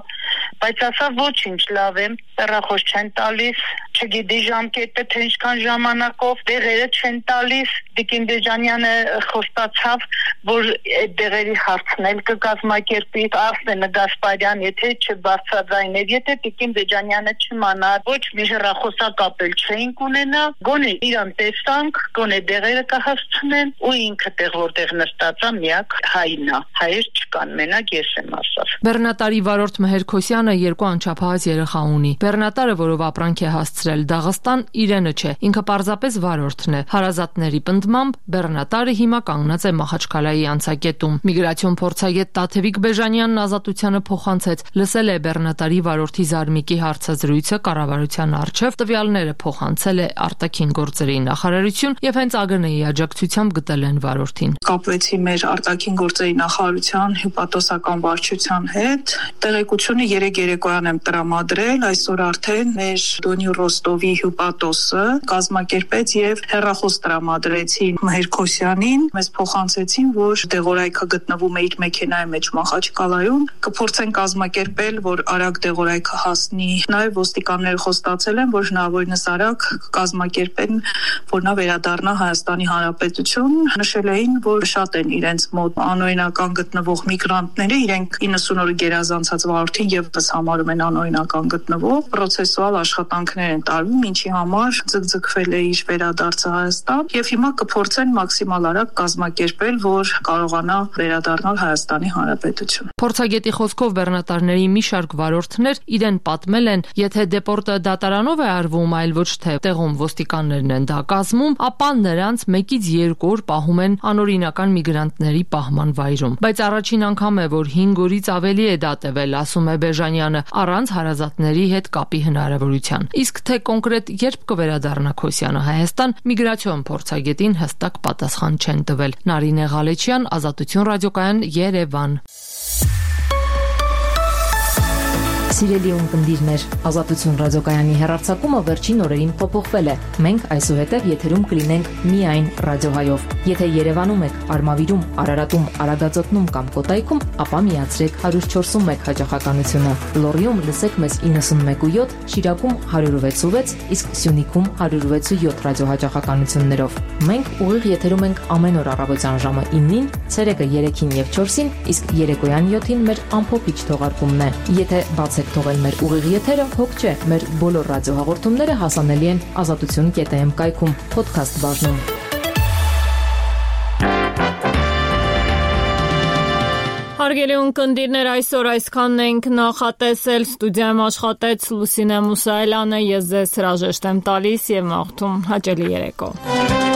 բայց ասա ոչինչ լավ եմ, հեռախոս չեն տալիս, չգիտի ժամկետը թե ինչքան ժամանակով, դեղերը չեն տալիս։ Տիկին Բեժանյանը խոստացավ, որ այդ դեղերի հարցն էլ կկազմակերպի։ Արսեն Գասպարյան, եթե չբարձրաձայներ, եթե Տիկին Բեժանյանը չիմանար, ոչ մի հեռախոսակապ էլ չէինք ունենա, գոնե իրան տեսանք, գոնե դեղերը կհասցնեն ու ինքը տեղ որտեղ նստած է միակ հայն է, հայեր չկան, մենակ ես եմ ասավ։ Բեռնատարի վարորդ Մեհեր Քոսյանը 2 անչափահաս երեխա ունի։ Բեռնատարը, որով ապրանք է հասցրել Դաղստան, իրենը չէ, ինքը պարզապես վարորդն է։ Հարազատների պնդմամբ բեռնատարը հիմա կանգնած է Մախաչկալայի անցակետում։ Միգրացիոն փորձագետ Տաթևիկ Բեժանյանն Ազատությանը փոխանցեց, լսել է բեռնատարի վարորդի զարմիկի հարցազրույցը կառավարության առջև, տվյալները փոխանցել է արտաքին գործերի նախարարություն եւ հենց ԱԳՆ-ի աջակցությամբ գտել են վարորդին։ Կապվեցի մեր արտաքին գործերի նախարարության հյուպատոսական վարչության հետ, տեղեկությունը 3 երեկոյան եմ տրամադրել, այսօր արդեն մեր Դոնի Ռոստովի հյուպատոսը կազմակերպեց եւ հեռախոս տրամադրեցին Մեհեր Քոսյանին, մեզ փոխանցեցին, որ դեղորայքը գտնվում է իր մեքենայի մեջ Մախաչկալայում, կփորձեն կազմակերպել, որ արագ դեղորայքը հասնի։ Նաեւ ոստիկանները խոստացել են, որ հնարավորինս արագ կազմակերպեն, որ նա վերադառնա Հայաստանի Հանրապետություն։ Նշել էին, որ շատ են իրենց մոտ անօրինական գտնվող միգրանտները, իրենք 90 օրը գերազանցած վարորդին եւս համարում են անօրինական գտնվող, պրոցեսուալ աշխատանքներ են են տարվում, ինչի համար ձգձգվել է իր վերադարձը Հայաստան, եւ հիմա կփորձեն մաքսիմալ արագ կազմակերպել, որ կարողանա վերադառնալ Հայաստանի Հանրապետություն։ Փորձագետի խոսքով բեռնատարների մի շարք վարորդներ իրեն պատմել են, եթե դեպորտը դատարանով է արվում, այլ ոչ թե տեղում ոստիկաններն են դա կազմում, ապա նրանց 1-ից 2 օր պահում են անօրինական միգրանտների պահման վայրում։ Բայց առաջին անգամ է, որ 5 օրից ավելի է դա տևել, ասում է Բեժանյանը, առանց հարազատների հետ կապի հնարավորության։ Իսկ թե կոնկրետ երբ կվերադառնա Քոսյանը Հայաստան, միգրացիոն փորձագետին հստակ պատասխան չեն տվել։ Նարինե Ղալեչյան, Ազատություն ռադիոկայան, Երևան։ Սիրելի ունկնդիրներ, Ազատություն ռադիոկայանի հեռարձակումը վերջին օրերին փոփոխվել է։ Մենք այսուհետև եթերում կլինենք միայն ռադիոհայով։ Եթե Երևանում եք, Արմավիրում, Արարատում, Արագածոտնում կամ Կոտայքում, ապա միացրեք 104.1 հաճախականությունը։ Լոռիում լսեք մեզ 91.7, Շիրակում 106.6, իսկ Սյունիքում 106.7 ռադիոհաճախականություններով։ Մենք ուղիղ եթերում ենք ամեն օր առավոտյան ժամը 9-ին, ցերեկը 3-ին եւ 4-ին, իսկ երեկոյան 7-ին մեր ամփոփիչ թողարկումն է։ Եթե բացեք թողել մեր ուղիղ եթերը, հոգ չէ, մեր բոլոր ռադիոհաղորդումները հասանելի են azatutun.am կայքում, podcast բաժնում։ Հարգելի ունկնդիրներ, այսօր այսքանն ենք նախատեսել, ստուդիայում աշխատեց Լուսինե Մուսայելյանը, ես ձեզ հրաժեշտ եմ տալիս եւ մաղթում հաճելի երեկո։